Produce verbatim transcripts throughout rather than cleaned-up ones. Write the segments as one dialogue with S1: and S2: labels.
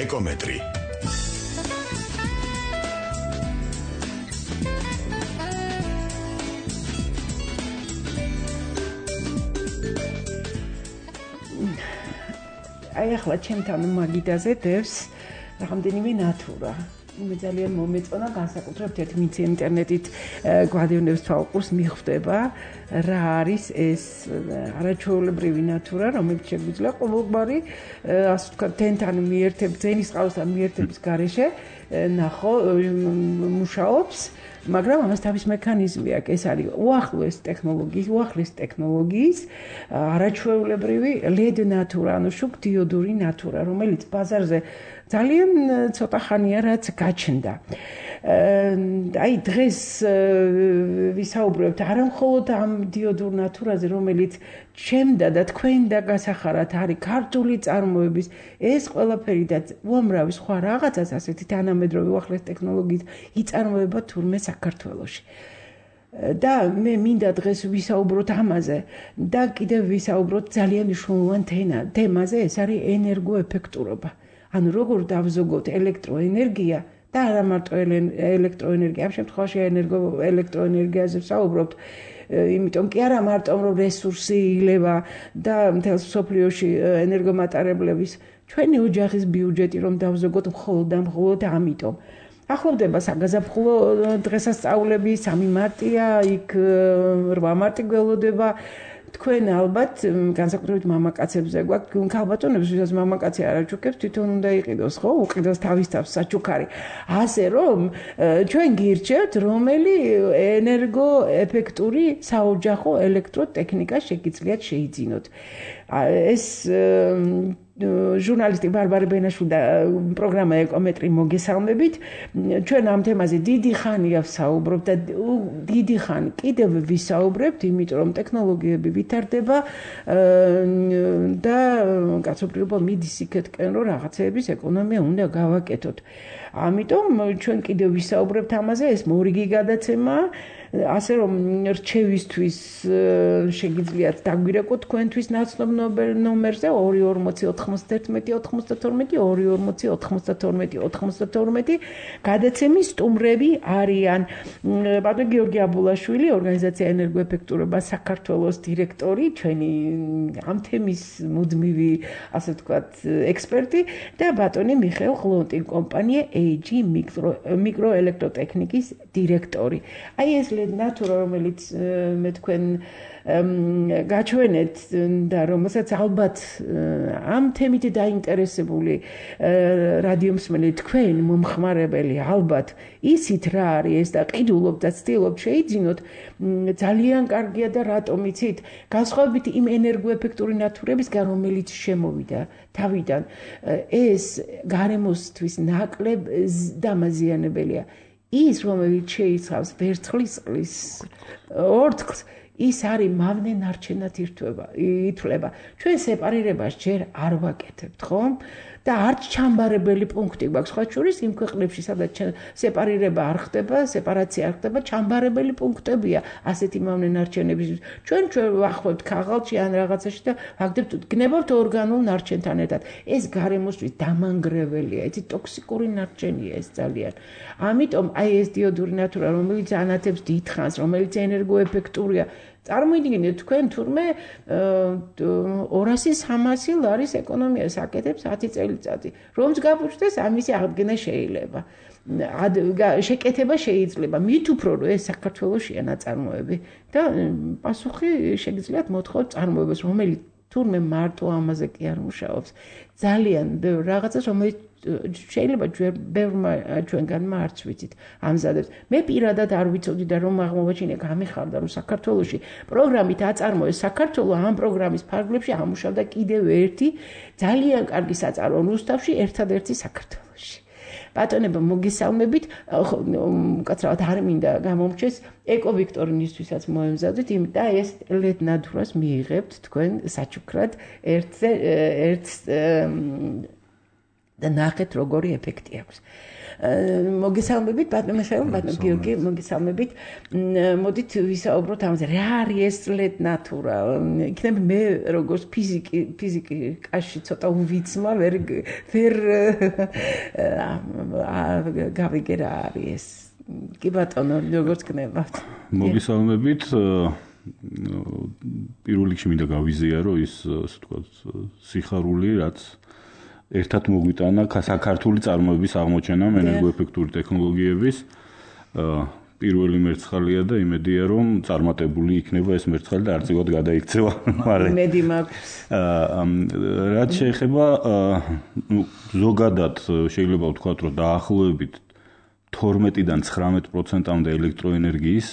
S1: ეკომეტრი.
S2: აი ახლა ჩემთან მაგიდაზე დევს რამდენიმე ნატურა. მე ძალიან მომეწონა განსაკუთრებით ერთ ვინც ინტერნეტით გვადევნებს თვალყურს მიხვდება რა არის ეს არაჩვეულებრივი ნატურა, რომელიც შეგვიძლია ყოველგვარი ასე ვთქვათ თენთან მიერთების, ძენის ყავსთან მიერთების გარეშე ნახო მუშაობს. მაგრამ ამას თავის მექანიზმი აქვს, ეს არის უახლოეს ტექნოლოგიის, უახლეს ტექნოლოგიის არაჩვეულებრივი ლედ ნატურა, ანუ შუქდიოდური ნატურა, რომელიც ბაზარზე ძალიან ცოტა ხანია რაც გაჩნდა. აი დღეს ვისაუბრებთ არა მხოლოდ ამ დიოდურ ნატურაზე, რომელიც ჩემდა და თქვენ და გასახარად არის ქართული წარმოების ეს ყველაფერი და უამრავი სხვა რაღაცას ასეთი თანამედროვე უახლეს ტექნოლოგიით იწარმოება თურმე საქართველოში. და მე მინდა დღეს ვისაუბროთ ამაზე და კიდევ ვისაუბროთ ძალიან მნიშვნელოვან თემაზე, ეს არის ენერგოეფექტურობა. ანუ როგორ დავზოგოთ ელექტროენერგია და არა მარტო ელექტროენერგია, ამ შემთხვევაში ენერგო ელექტროენერგიაზე ვსაუბრობთ, იმიტომ კი არა მარტო რომ რესურსი ილევა და მთელ მსოფლიოში ენერგომატარებლების ჩვენი ოჯახის ბიუჯეტი რომ დავზოგოთ მხოლოდ და მხოლოდ ამიტომ. ახლოვდება საგაზაფხულო დღესასწაულები, სამი მარტია, იქ რვა მარტი გველოდება. თქვენ ალბათ განსაკუთრებით მამაკაცებზე გვაქვს ქალბატონებს, ვისაც მამაკაცი არ აჩუქებს, თვითონ უნდა იყიდოს, ხო? უყიდოს თავის თავს საჩუქარი. ასე რომ ჩვენ გირჩევთ, რომელი ენერგოეფექტური საოჯახო ელექტროტექნიკა შეგიძლიათ შეიძინოთ. ეს ჟურნალისტი ბარბარე ბენაშვილი და პროგრამა ეკომეტრი მოგესალმებით. ჩვენ ამ თემაზე დიდი ხანია ვსაუბრობთ და დიდი ხანი კიდევ ვისაუბრებთ, იმიტომ რომ ტექნოლოგიები ვითარდება და კაცობრიობა მიდის იქეთკენ, რომ რაღაცეების ეკონომია უნდა გავაკეთოთ. ამიტომ ჩვენ კიდევ ვისაუბრებთ ამაზე, ეს მორიგი გადაცემაა. ასე რომ რჩევისთვის შეგიძლიათ დაგვირეკოთ თქვენთვის ნაცნობ ნომერზე ორი ორმოცი ოთხმოცდაერთმეტი ოთხმოცდათორმეტი ორი ორმოცი ოთხმოცდათორმეტი ოთხმოცდათორმეტი გადაცემის სტუმრები არიან ბატონი გიორგი აბულაშვილი, ორგანიზაცია ენერგოეფექტურობა საქართველოს დირექტორი, ჩვენი ამ თემის მუდმივი ასე ვთქვათ ექსპერტი და ბატონი მიხეილ ყლონტი, კომპანია ეი ჯი მიკროელექტროტექნიკის დირექტორი. აი ეს ნატურა, რომელიც მე თქვენ გაჩვენეთ და რომელსაც ალბათ ამ თემით დაინტერესებული რადიომსმენელი თქვენ მომხმარებელი ალბათ ისით რა არის ეს და ყიდულობთ და ცდილობთ შეიძინოთ, ძალიან კარგია და რატომ იცით? განსხვავებით იმ ენერგოეფექტური ნატურებისგან, რომელიც შემოვიდა თავიდან, ეს გარემოსთვის ნაკლებ დამაზიანებელია. ის რომელიც შეიცავს ვერცხლის წყლის ორთქლს, ის არის მავნე ნარჩენად ითვლება. ჩვენ სეპარირებას ჯერ არ ვაკეთებთ, ხო? და არც ჩამბარებელი პუნქტი გვაქვს, სხვა შორის იმ ქვეყნებში, სადაც სეპარირება არ ხდება, სეპარაცია არ ხდება, ჩამბარებელი პუნქტებია ასეთი მავნე ნარჩენების. ჩვენ ჩვენ ვახвоებთ ქაღალდში ან რაღაცაში და ვაგდებთ, გნებავთ ორგანულ ნარჩენთან ერთად. ეს გარემოსთვის დამანგრეველია, იცი ტოქსიკური ნარჩენია ეს ძალიან. ამიტომ აი ეს დიოდური ნატურა, რომელიც ანათებს დიდხანს, რომელიც ენერგოეფექტურია, წარმოიდგინეთ თქვენ თურმე ორასი სამასი ლარის ეკონომიას აკეთებს ათი წელიწადი. რომც გაბუჩდეს, ამისი აღდგენა შეიძლება. შეკეთება შეიძლება. მით უფრო რომ ეს საქართველოშია ნაწარმოები და პასუხი შეგიძლიათ მოთხოვოთ წარმოებას, რომელიც თურმე მარტო ამაზე კი არ მუშაობს. ძალიან ბევრ რაღაცას, რომელიც შეიძლება ბევრმა ჩვენგანმა არც ვიცით ამზადებს. მე პირადად არ ვიცოდი და რომ აღმოვაჩინე გამიხარდა, რომ საქართველოში პროგრამით აწარმოეს საქართველო ამ პროგრამის ფარგლებში ამუშავდა კიდევ ერთი ძალიან კარგი საწარო რუსთავში, ერთადერთი საქართველოში. ბატონებო, მოგესალმებით, უკაცრავად არ მინდა გამომრჩეს, ეკოვიქტორინისთვისაც მოემზადეთ, იმიტომ და ეს ლედ ნატურას მიიღებთ თქვენ საჩუქრად ერთზე ერთ და ნახეთ როგორი ეფექტი აქვს. მოგესალმებით ბატონო მიხეილ, ბატონო გიორგი, მოგესალმებით. მოდით ვისაუბროთ ამაზე, რა არის ეს ლედ ნატურა? იქნებ მე როგორც ფიზიკი, ფიზიკაში ცოტა უვიცმა, ვერ ვერ გავიგე რა არის ეს. კი ბატონო, როგორც გნებავთ.
S1: მოგესალმებით. პირველ რიგში მინდა გავიზიარო ის, ასე ვთქვათ, სიხარული, რაც ერთად მოგვიტანა საქართველოს წარმოების აღმოჩენამ ენერგოეფექტური ტექნოლოგიების. პირველი მერცხალია და იმედია რომ წარმატებული იქნება ეს მერცხალი და არწივად გადაიქცევა.
S2: იმედი მაქვს.
S1: რაც შეეხება ზოგადად შეიძლება ვთქვათ რომ დაახლოებით თორმეტიდან ცხრამეტ პროცენტამდე ელექტროენერგიის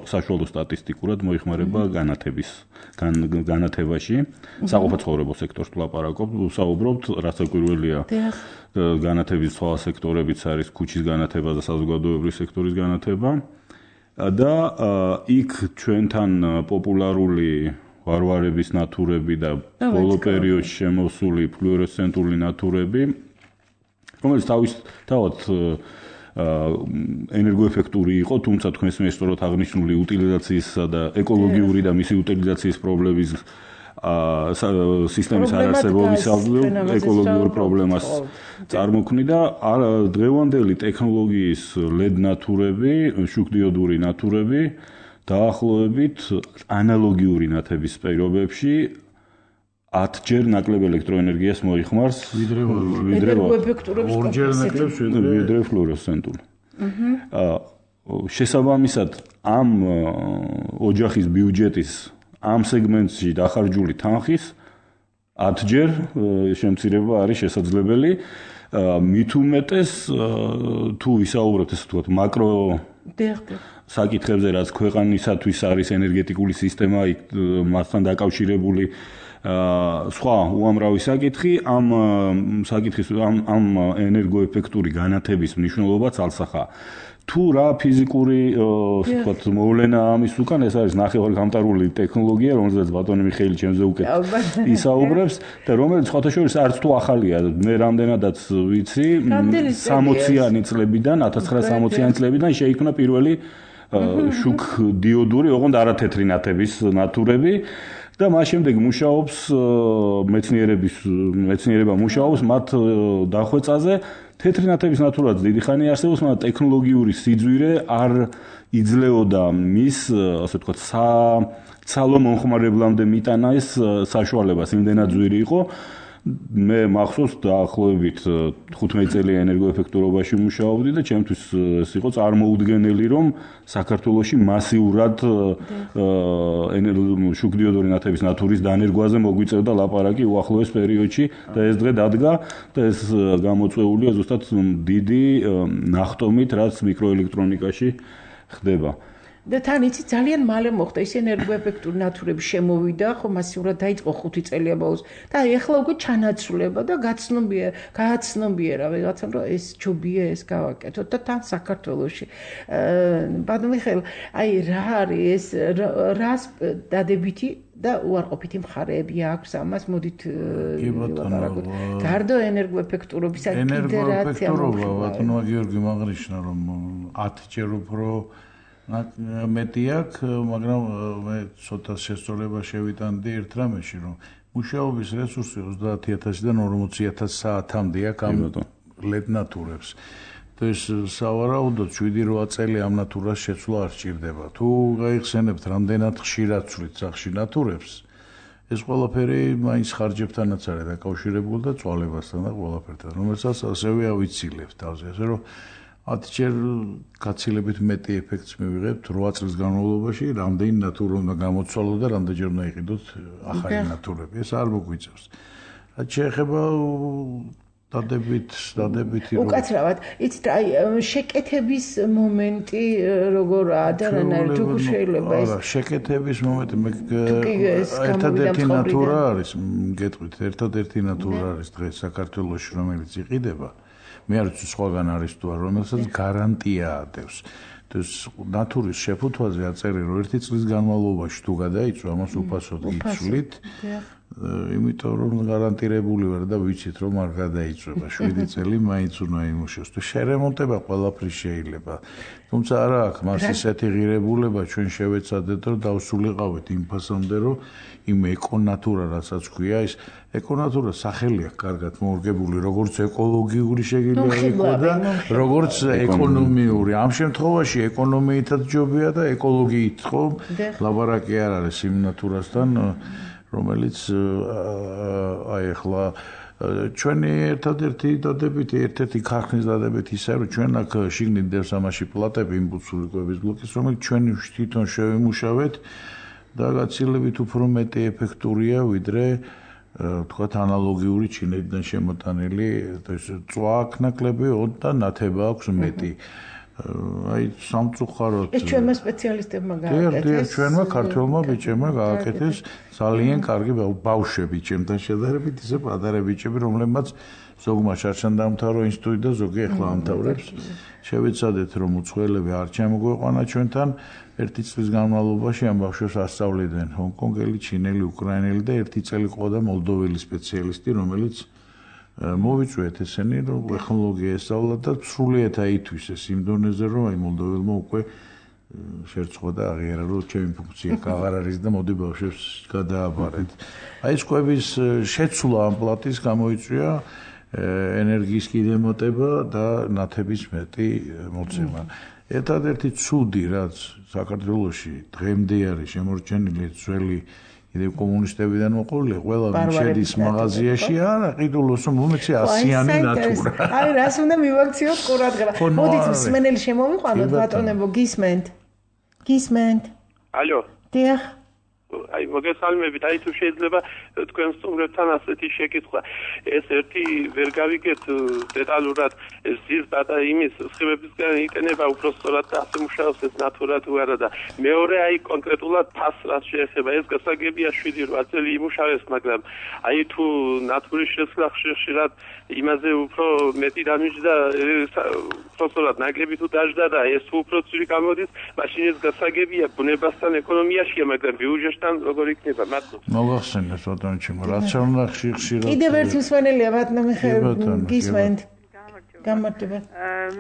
S1: საშუალო სტატისტიკურად მოიხმარება განათების განათებაში, საყოფაცხოვრებო სექტორს ვლაპარაკობ, ვსაუბრობთ, რაც საკვირველია განათების სხვა სექტორებიც არის ქუჩის განათება და საზოგადოებრივი სექტორის განათება და იქ ჩვენთან პოპულარული ვარვარების ნათურები და ბოლო პერიოდში შემოსული ფლუორესცენტული ნათურები, რომელიც თავისთავად ენერგოეფექტური იყო, თუმცა თქვენს მეშოროთ აღნიშნული უტილიზაციისა და ეკოლოგიური და მისი უტილიზაციის პრობლემის სისტემის არარსებობისავე ეკოლოგიურ პრობლემას წარმოქმნიდა. დღევანდელი ტექნოლოგიის ლედ ნათურები, შუქდიოდური ნათურები დაახლოებით ანალოგიური ნათების პირობებში ათჯერ ნაკლებ ელექტროენერგიას მოიხმარს ვიდრე ვიდრე ორჯერ ნაკლებ ვიდრე ფლუორესცენტული. შესაბამისად ამ ოჯახის ბიუჯეტის ამ სეგმენტში დახარჯული თანხის ათჯერ შემცირება არის შესაძლებელი. მით უმეტეს თუ ვისაუბროთ ესე ვთქვათ მაკრო საკითხებზე, რაც ქვეყანისათვის არის ენერგეტიკული სისტემა, მასთან დაკავშირებული სხვა უამრავი საკითხი, ამ საკითხის ამ ამ ენერგოეფექტური განათების მნიშვნელობაც ალსახა. თუ რა ფიზიკური, ასე ვთქვათ, მოვლენა ამის უკან, ეს არის ნახევარგამტარული ტექნოლოგია, რომელზეც ბატონი მიხეილი ჩემზე უკეთ ისაუბრებს და რომელიც სხვათა შორის არც თუ ახალია, მე რამდენადაც ვიცი, სამოციანი წლებიდან, ათას ცხრაასამოციანი წლებიდან შეიქმნა პირველი შუქდიოდური, ოღონდ არათეთრი ნათების ნათურები. და მას შემდეგ მუშაობს მეცნიერების მეცნიერება მუშაობს მათ დახვეწაზე. თეთრი ნათების ნათურაც დიდი ხანი არსებობს, მაგრამ ტექნოლოგიური სიძვირე არ იძლეოდა მის, ასე ვთქვათ, საცალო მომხმარებლამდე მიტანა ეს საშუალებას, იმდენად ძვირი იყო. მე მახსოვს დაახლოებით თხუთმეტი წელი ენერგოეფექტურობაში მუშაობდი და ჩემთვის ეს იყო წარმოუდგენელი რომ საქართველოში მასიურად შუქდიოდური ნათების ნათურის დანერგვაზე მოგვიწევდა ლაპარაკი უახლოეს პერიოდში და ეს დღე დადგა და ეს გამოწვეულია ზუსტად დიდი ნახტომით, რაც მიკროელექტრონიკაში ხდება.
S2: და თან იცი ძალიან მალე მოხდა ის ენერგოეფექტური ნათურები შემოვიდა, ხო მასიურად დაიწყო ხუთი წელია ბოლოს და ეხლა უკვე ჩანაცვლება და გაცნობია, გააცნობიერა რაღაცა რომ ეს ჯობია ეს გავაკეთოთ და თან საქართველოში. ბატონო მიხეილ, აი რა არის ეს რას დადებითი და უარყოფითი მხარეები აქვს ამას, მოდით ვაპარაკოთ. გარდა ენერგოეფექტურობისა კიდე რა
S3: ენერგოეფექტურობა, ბატონო გიორგი მაგნიშნა რომ ათჯერ უფრო მეტი აქვს, მაგრამ მე ცოტა შესწორება შევიტანდი ერთ რამეში, რომ მუშაობის რესურსი ოცდაათი ათასიდან ორმოცი ათას საათამდე აქვს ამ ლედ ნათურებს. და ეს სავარაუდოდ შვიდი რვა წელი ამ ნათურას შეცვლა არ სჭირდება. თუ გაიხსენებთ რამდენად ხშირად ცვლით სახში ნათურებს, ეს ყველაფერი მაინც ხარჯებთანაც არის დაკავშირებული და წვალებასთან და ყველაფერთან, რომელსაც ასევე ავიცილებთ თავზე, ასე რომ ათჯერ გაცილებით მეტი ეფექტს მივიღებთ რვა წლის განმავლობაში, რამდენი ნათურა უნდა გამოცვალოთ და რამდენჯერ უნდა იყიდოთ ახალი ნათურები. ეს არ მოგვიწევს. რაც შეეხება დადებით, დადებითი რომ
S2: უკაცრავად, იცით, აი შეკეთების მომენტი როგორაა და რანაირად თუ შეიძლება ეს
S3: არა, შეკეთების მომენტი მე ერთადერთი ნათურა არის, გეტყვით, ერთადერთი ნათურა არის დღეს საქართველოში, რომელიც იყიდება. მე არ ვიცი სხვაგან არის თუ არა, რომელსაც გარანტია ადევს. ეს ნათურის შეფუთვაზე აწერია, რომ ერთი წლის განმავლობაში თუ გადაიწვა, ამას უფასოდ იცვლით იმიტომ რომ გარანტირებული ვარ და ვიცით რომ არ გადაიწვება შვიდი წელი მაინც უნდა იმუშოს თუ შერემონტება ყველაფრის შეიძლება თუმცა არა აქვს მას ისეთი ღირებულება ჩვენ შევეცადეთ რომ დავსულიყავით იმ ფასამდე რომ იმ ეკონატურა რასაც ქვია ის ეკონატურა სახელი აქვს კარგად მორგებული როგორც ეკოლოგიური შეგიძლია იყოს და როგორც ეკონომიური ამ შემთხვევაში ეკონომიითაც ჯობია და ეკოლოგიით ხო ლაბარაკი არ არის იმ ნატურასთან რომელიც აი ახლა ჩვენი ერთადერთი დადებითი ერთ-ერთი ქარხნის დადებითი ისაა რომ ჩვენ აქ შიგნით დევს ამაში პლატები იმპულსური კვების ბლოკის რომელიც ჩვენი თვითონ შევიმუშავეთ და გაცილებით უფრო მეტი ეფექტურია ვიდრე თქვათ ანალოგიური ჩინეთიდან შემოტანილი წვააქნაკლები და ნათება აქვს მეტი აი სამწუხაროდ
S2: ეს ჩვენმა სპეციალისტებმა
S3: გააკეთეს. დიახ, ჩვენმა ქართველმა ბიჭებმა გააკეთეს ძალიან კარგი ბავშვები ჩემთან შედარებით ისე პატარა ბიჭები რომლებმაც ზოგმა შარშან დაამთავრა ინსტიტუტი და ზოგი ახლა ამთავრებს. შევეცადეთ რომ უცხოელები არ ჩამოგვეყვანა ჩვენთან ერთი წლის განმავლობაში ამ ბავშვებს ასწავლიდნენ ჰონკონგელი, ჩინელი, უკრაინელი და ერთი წელი ყავდა მოლდოველი სპეციალისტი რომელიც მოვიწვიეთ ესენი რომ ტექნოლოგია ესწავლა და სრულიად აითვისეს იმ დონეზე რომ აი მოლდოველმა უკვე შერწყვა და აღიარა რომ ჩემი ფუნქცია აღარ არის და მოდი ბავშვებს გადააბარეთ. აი ეს კვების შეცვლა ამ პლატის გამოიწვია ენერგიის კიდემოტება და ნათების მეტი მოცემა. ერთადერთი ცუდი რაც საქართველოში დღემდე არის შემორჩენილი ძველი იდე კომუნისტებიდან მოყოლია ყველა შედის მაღაზიაში არა ყიდულოს რომ მომეცი ასიანი ნატურა
S2: აი რას უნდა მივაქციოთ ყურადღება მოდით მსმენელი შემოვიყვანოთ ბატონებო გისმენთ გისმენთ
S4: ალო
S2: დიახ
S4: აი მოგესალმებით აი თუ შეიძლება თქვენ სტუმრებთან ასეთი შეკითხვა ეს ერთი ვერ გავიგეთ დეტალურად ზის და იმის სხივებისგან იყენება უბრალოდ და ასე მუშაობს ეს ნატურა თუ არა და მეორე აი კონკრეტულად ფასს რაც შეეხება ეს გასაგებია შვიდი რვა წელი იმუშავეს მაგრამ აი თუ ნატურის შესვლა ხშირად იმაზე უფრო მეტი დამიჯდა უბრალოდ ნაკლები თუ დაждდა და ეს უფრო ცივი გამოდის მაშინ ეს გასაგებია ბუნებასთან ეკონომიაშია მაგრამ ბიუჯეტში როგორ იქნება მადლობა
S3: მოგახსენეთ ბატონჩი რაც უნდა ხშირად
S2: კიდევ ერთი მსმენელია ბატონო მიხეილ გისმენთ გამარჯობა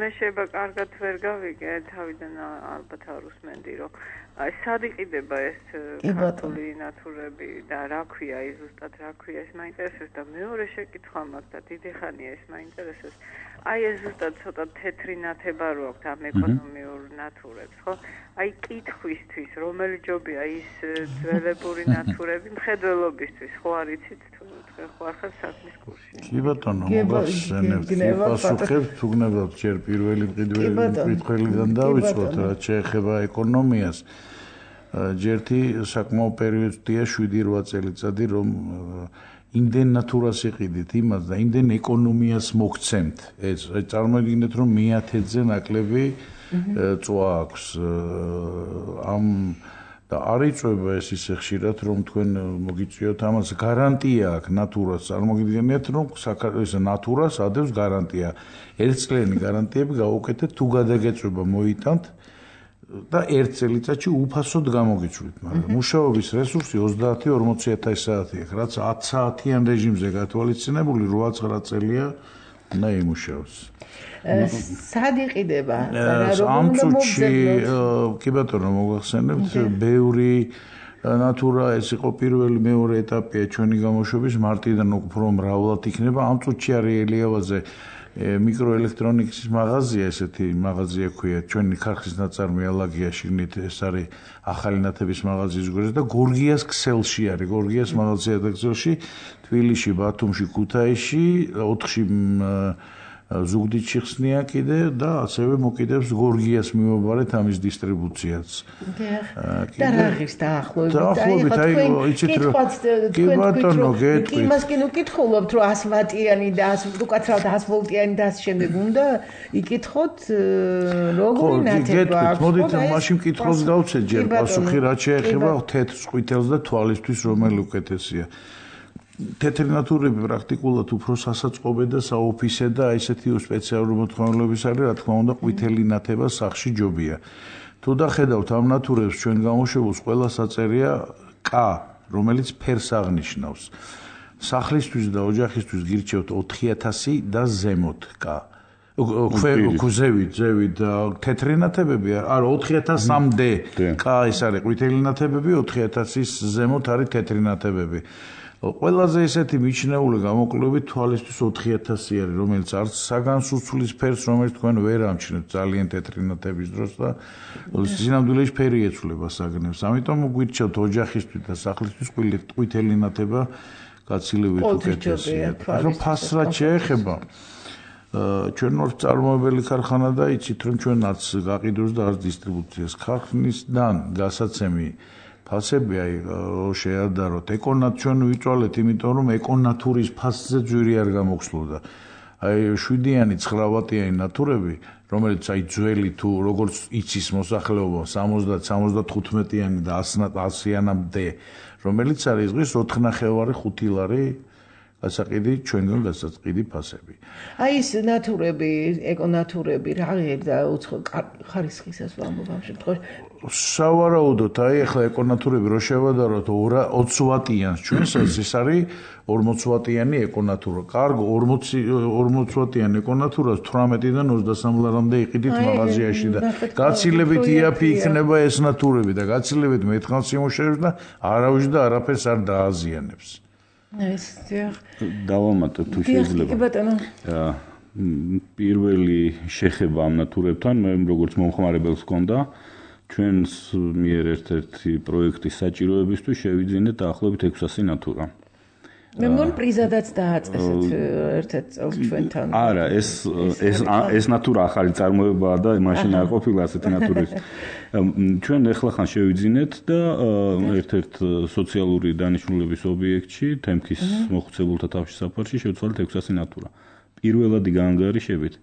S5: მე შეიძლება კარგად ვერ გავიგე თავიდან ალბათ არ უსმენდი რომ აი სად იყიდება ეს ქართული ნატურები და რა ქვია ის ზუსტად რა ქვია ეს მაინტერესებს და მეორე შეკითხვა მაქვს და დიდი ხანია ეს მაინტერესებს აი ეს ზუსტად ცოტა თეთრი ნათება რო აქვს ამ ეკონომიურ ნატურებს ხო აი კითხვისთვის რომელი ჯობია ის ძველებური ნატურები მხედველობისთვის ხო არ იცით თუ თქვენ ხო ახალ საქმის კურსში
S3: კი ბატონო მოგახსენებთ პასუხებს თუ გნებავთ ჯერ პირველი მყიდველიდან დავიწყოთ რაც შეეხება ეკონომიას ჯერთი საკმაო პერიოდია შვიდი რვა წელიწადი რომ იმდენ ნატურას იყიდით იმას და იმდენ ეკონომიას მოგცემთ ეს წარმოიდგინეთ რომ მეათედზე ნაკლები წვა აქვს ამ და არ იწვება ეს ისე ხშირად რომ თქვენ მოგიწვიოთ ამას გარანტია აქვს ნატურას წარმოგიდგენიათ რომ საქართველოს ნატურას ადევს გარანტია ერთწლიანი გარანტიები გავუკეთეთ თუ გადაგეწვება მოიტანთ და ერთ წელიწადში უფასოდ გამოგიჩვლით მაგრამ მუშაობის რესურსი ოცდაათი ორმოცი ათასი საათი აქვს რაც ათი საათიან რეჟიმზე გათვალისწინებული რვა ცხრა წელია და იმუშაოს
S2: სად იყიდება
S3: ამ წუთში კი ბატონო მოგახსენებთ ბევრი ნატურა ეს იყო პირველი მეორე ეტაპია ჩვენი გამოშვების მარტიდან უფრო მრავლად იქნება ამ წუთში არის ელიავაზე მიკროელექტრონიკის მაღაზია ესეთი მაღაზია ქვია ჩვენი ქარხნის ნაწარმი ალაგია შიგნით ეს არის ახალი ნათების მაღაზიის გვერდზე და გორგიას ქსელში არის გორგიას მაღაზია და ქსელში თბილისში ბათუმში ქუთაისში ოთხში ზუგდიდში ხსნია კიდე და ასევე მოკიდებს გორგიას მიმობარეთ ამის დისტრიბუციაც.
S2: და რა ღირს დაახლოებით?
S3: დაახლოებით აი იცით რომ კი ბატონო გეტყვით.
S2: იმას კი ნუკითხულობთ რომ ას ვატიანი და ას უკაცრავად ას ვოლტიანი და ამ შემდეგ უნდა იკითხოთ როგორი ნათება აქვს.
S3: მოდით მაშინ კითხავს გავცეთ ჯერ პასუხი რაც შეეხება თეთრ ყვითელს და თვალისთვის რომელი უკეთესია. თეთრი ნატურები პრაქტიკულად უფრო სასაწყობე და საოფისე და ესეთი სპეციალური მოთხოვნილების არის, რა თქმა უნდა, ყვითელი ნათება სახში ჯობია. თუ დახედავთ ამ ნატურებს ჩვენ გამოშვებულს ყველა საწერია კ რომელიც ფერს აღნიშნავს. Სახლისთვის და ოჯახისთვის გირჩევთ ოთხი ათასი და ზემოთ კა. Ქუზევით, ზევით თეთრი ნათებები, არა ოთხი ათასამდე კა ეს არის ყვითელი ნათებები, ოთხი ათასის ზემოთ არის თეთრი ნათებები. ყველაზე ესეთი მიჩნეული გამოკვლევით თვალისთვის ოთხი ათასი არის, რომელიც არც საგანს უცვლის ფერს, რომელიც თქვენ ვერ ამჩნევთ ძალიან თეთრი ნათების დროს და სინამდვილეში ფერი ეცვლება საგნებს. ამიტომ გვირჩევთ ოჯახისთვის და სახლისთვის ყვითელი ნათება გაცილებით უკეთესია. ახლა ფასს რაც შეეხება ჩვენ ვართ წარმოებელი ქარხანა და იცით რომ ჩვენ არც გაყიდვას და არც დისტრიბუციას ქარხნისგან გასაცემი ფასები აი შეადაროთ ეკონათ ჩვენ ვიწვალეთ იმიტომ რომ ეკონატურის ფასზე ძვირი არ გამოგხსნოდა აი შვიდიანი ცხრა-ვატიანი ნატურები რომელიც აი ძველი თუ როგორც იცის მოსახლეობა სამოცდა სამოცდათხუთმეტიანი და ასიანამდე რომელიც არის დღეს ოთხნახევარი ხუთი ლარი გასაყიდი ჩვენგან გასაყიდი ფასები.
S2: აი ეს ნატურები, ეკონატურები რა ღირდა უცხო ხარისხისას ვამბობ ამ შემთხვევაში.
S3: სავარაუდოდ აი ახლა ეკონატურები რო შევადაროთ ოცი ვატიანს ჩვენსაც ეს არის ორმოცი ვატიანი ეკონატურა. კარგო ორმოცი ვატიანი ეკონატურას თვრამეტიდან ოცდასამ ლარამდე იყიდით მაღაზიაში და გაცილებით იაფი იქნება ეს ნატურები და გაცილებით მეტხანს იმუშავებს და არავის და არაფერს არ დააზიანებს.
S2: ეს დიახ
S1: დავამატებ თუ შეიძლება.
S2: კი ბატონო.
S1: პირველი შეხება ამ ნატურებთან მე როგორც მომხმარებელს ჰქონდა ჩვენს მიერ ერთ-ერთი პროექტის საჭიროებისთვის შევიძინეთ დაახლოებით ექვსასი ნატურა.
S2: მე მგონი პრიზადაც დააწესეთ ერთ-ერთ წელს ჩვენთან.
S1: არა, ეს ეს ეს ნატურა ახალი წარმოებაა და მაშინ არ ყოფილა ასეთი ნატურის. ჩვენ ეხლახან შევიძინეთ და ერთ-ერთ სოციალური დანიშნულების ობიექტში, თემქის მოხუცებულთა თავშის საფარში შევცვალეთ ექვსასი ნატურა. პირველადი გაანგარიშებით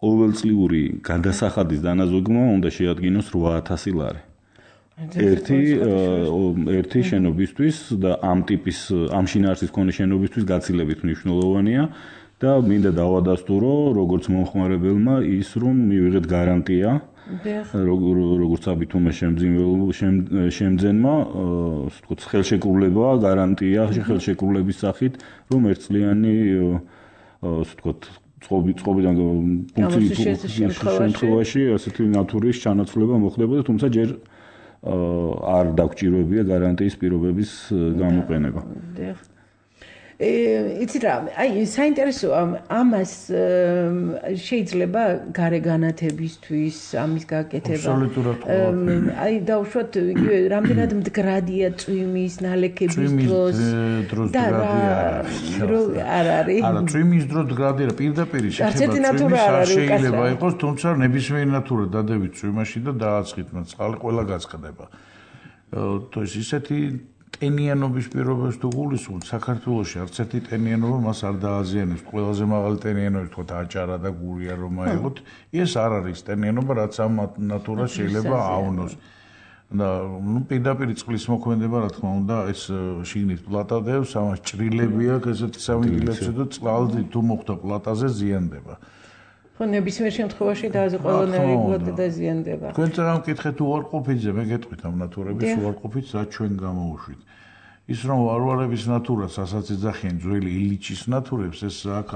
S1: ყოველწლიური გადასახადის დანაზოგმა უნდა შეადგინოს რვა ათასი ლარი. ერთი ერთი შენობისთვის და ამ ტიპის ამ შინაარსის მქონე შენობისთვის გაცილებით მნიშვნელოვანია და მინდა დავადასტურო როგორც მომხმარებელმა ის რომ მივიღეთ გარანტია როგორც საბითუმე შემძენმა ასე ვთქვათ ხელშეკრულება გარანტია ხელშეკრულების სახით რომ ერთწლიანი ასე ვთქვათ წყობიდან ფუნქციის შემთხვევაში ასეთი ნატურის ჩანაცვლება მოხდებოდა თუმცა ჯერ არ დაგჭიროებია გარანტიის პირობების გამოყენება.
S2: იცით რა, აი საინტერესოა ამას შეიძლება გარე განათებისთვის ამის გაკეთება.
S3: აბსოლუტურად ყველაფერი.
S2: აი დავუშვათ იგივე რამდენად მდგრადია წვიმის ნალექების დროს
S3: და
S2: არ არის.
S3: არა, წვიმის დროს მდგრადია პირდაპირ შეხება წვიმის შეიძლება იყოს, თუმცა ნებისმიერი ნატურა დადებით წვიმაში და დააწყიტმა წყალი ყველა გაწყდება. то есть ისეთი ტენიანობის პირობებს თუ გულისხმობთ საქართველოში არც ერთი ტენიანობა მას არ დააზიანებს ყველაზე მაღალი ტენიანობა თქვა აჭარა და გურია რომ აიღოთ ეს არ არის ტენიანობა რაც ამ ნატურას შეიძლება ავნოს და ნუ პირდაპირ წყლის მოქმედება რა თქმა უნდა ეს შიგნით პლატადებს ამას ჭრილები აქვს ესეთი სამიგილებში და წყალდი თუ მოხდა პლატაზე ზიანდება
S2: ხო ნებისმიერ შემთხვევაში და ასე ყველანაირად დაზიანდება.
S3: თქვენ წამკითხეთ უარყოფითზე, მე გეტყვით ამ ნატურების უარყოფითს რაც ჩვენ გამოუშვით. ის რომ ვარვარების ნატურას ასაც ეძახიან ძველი ილიჩის ნატურებს, ეს აქ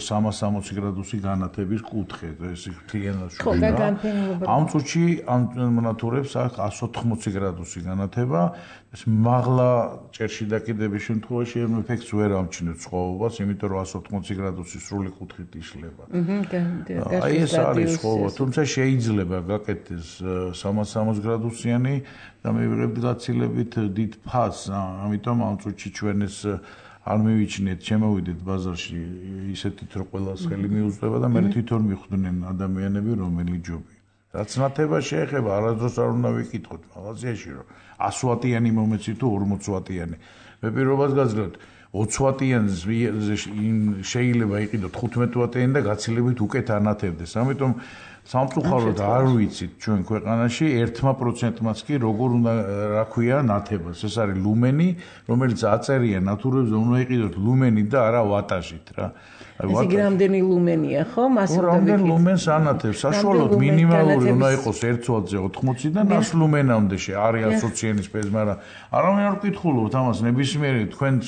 S3: სამას სამოცი გრადუსი განათების კუთხე, ეს მთლიანად შვიდა. ამ წუთში ამ ნატურებს აქ εκατს ოთხმოცი გრადუსი განათება, ეს მაღლა ჭერში დაკიდების შემთხვევაში ამ ეფექტს ვერ ამჩნევთ სხვაობას, იმიტომ რომ εκατს ოთხმოცი გრადუსი სრული კუთხით იშლება. აი ეს არის სხვაობა, თუმცა შეიძლება გაკეთდეს სამას სამოცი გრადუსიანი და მივიღებთ გაცილებით დიდ ფასს, ამიტომ ამ წუთში ჩვენ ეს არ მივიჩნიეთ, შემოვიდეთ ბაზარში ისეთით რომ ყველას ხელი მიუწვდება და მე თვითონ მიხვდნენ ადამიანები რომელი ჯობი. რაც ნათება შეეხება, არასდროს არ უნდა ვიკითხოთ მაღაზიაში რომ ასი ვატიანი მომეცი თუ ორმოცი ვატიანი. მე პირობას გაძლევთ ოცი ვატიანს შეიძლება იყიდოთ თხუთმეტი ვატიანი და გაცილებით უკეთ ანათებდეს. ამიტომ სამწუხაროდ არ ვიცით ჩვენ ქვეყანაში ერთმა პროცენტმაც კი როგორ უნდა რა ქვია ნათებას. ეს არის ლუმენი, რომელიც აწერია ნათურებზე უნდა იყიდოთ ლუმენი და არა ვატაჟით რა.
S2: ეს იგი რამდენი ლუმენია ხო? მას უნდა
S3: რამდენი ლუმენს ანათებს? საშუალოდ მინიმალური უნდა იყოს ერთ ვატზე ოთხმოცი და ნას ლუმენამდე არის ასოციანის პეზ, მაგრამ არავინ არ ვკითხულობთ ამას ნებისმიერი თქვენს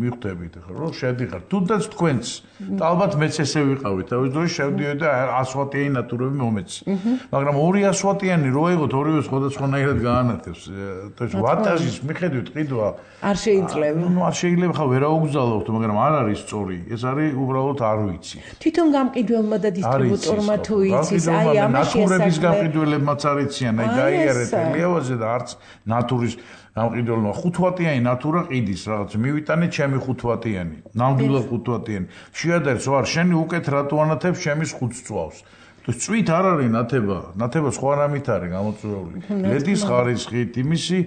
S3: მიხვდებით ხო რომ შედიხარ. თუნდაც თქვენს ალბათ მეც ესე ვიყავი თავის დროში შევდიოდი და ას ვატიანი ნატურები მომეცი. მაგრამ ორასი ვატიანი რო აიღოთ ორივე სხვადასხვანაირად გაანათებს. ვატაჟის მიხედვით ყიდვა
S2: არ შეიძლება.
S3: ნუ არ შეიძლება ხა ვერაუგზავნოთ, მაგრამ არ არის სწორი. ეს არის უბრალოდ არ ვიცი.
S2: თვითონ გამყიდველმა და დისტრიბუტორმა თუ იცის, აი ამაში
S3: ნატურების გამყიდველებმაც არ იციან, აი გაიარეთ ელიავაზე და არც ნატურის გამყიდველმა ხუთ ვატიანი ნატურა ყიდის რაღაც მივიტანე ჩემი ხუთ ვატიანი, ნამდვილად ხუთ ვატიანი. შეადერს ვარ შენი უკეთ რატო ანათებს ჩემის ხუთს წვავს. წვით არ არის ნათება, ნათება სხვა რამით არის გამოწვეული. ლედის ხარისხით, იმისი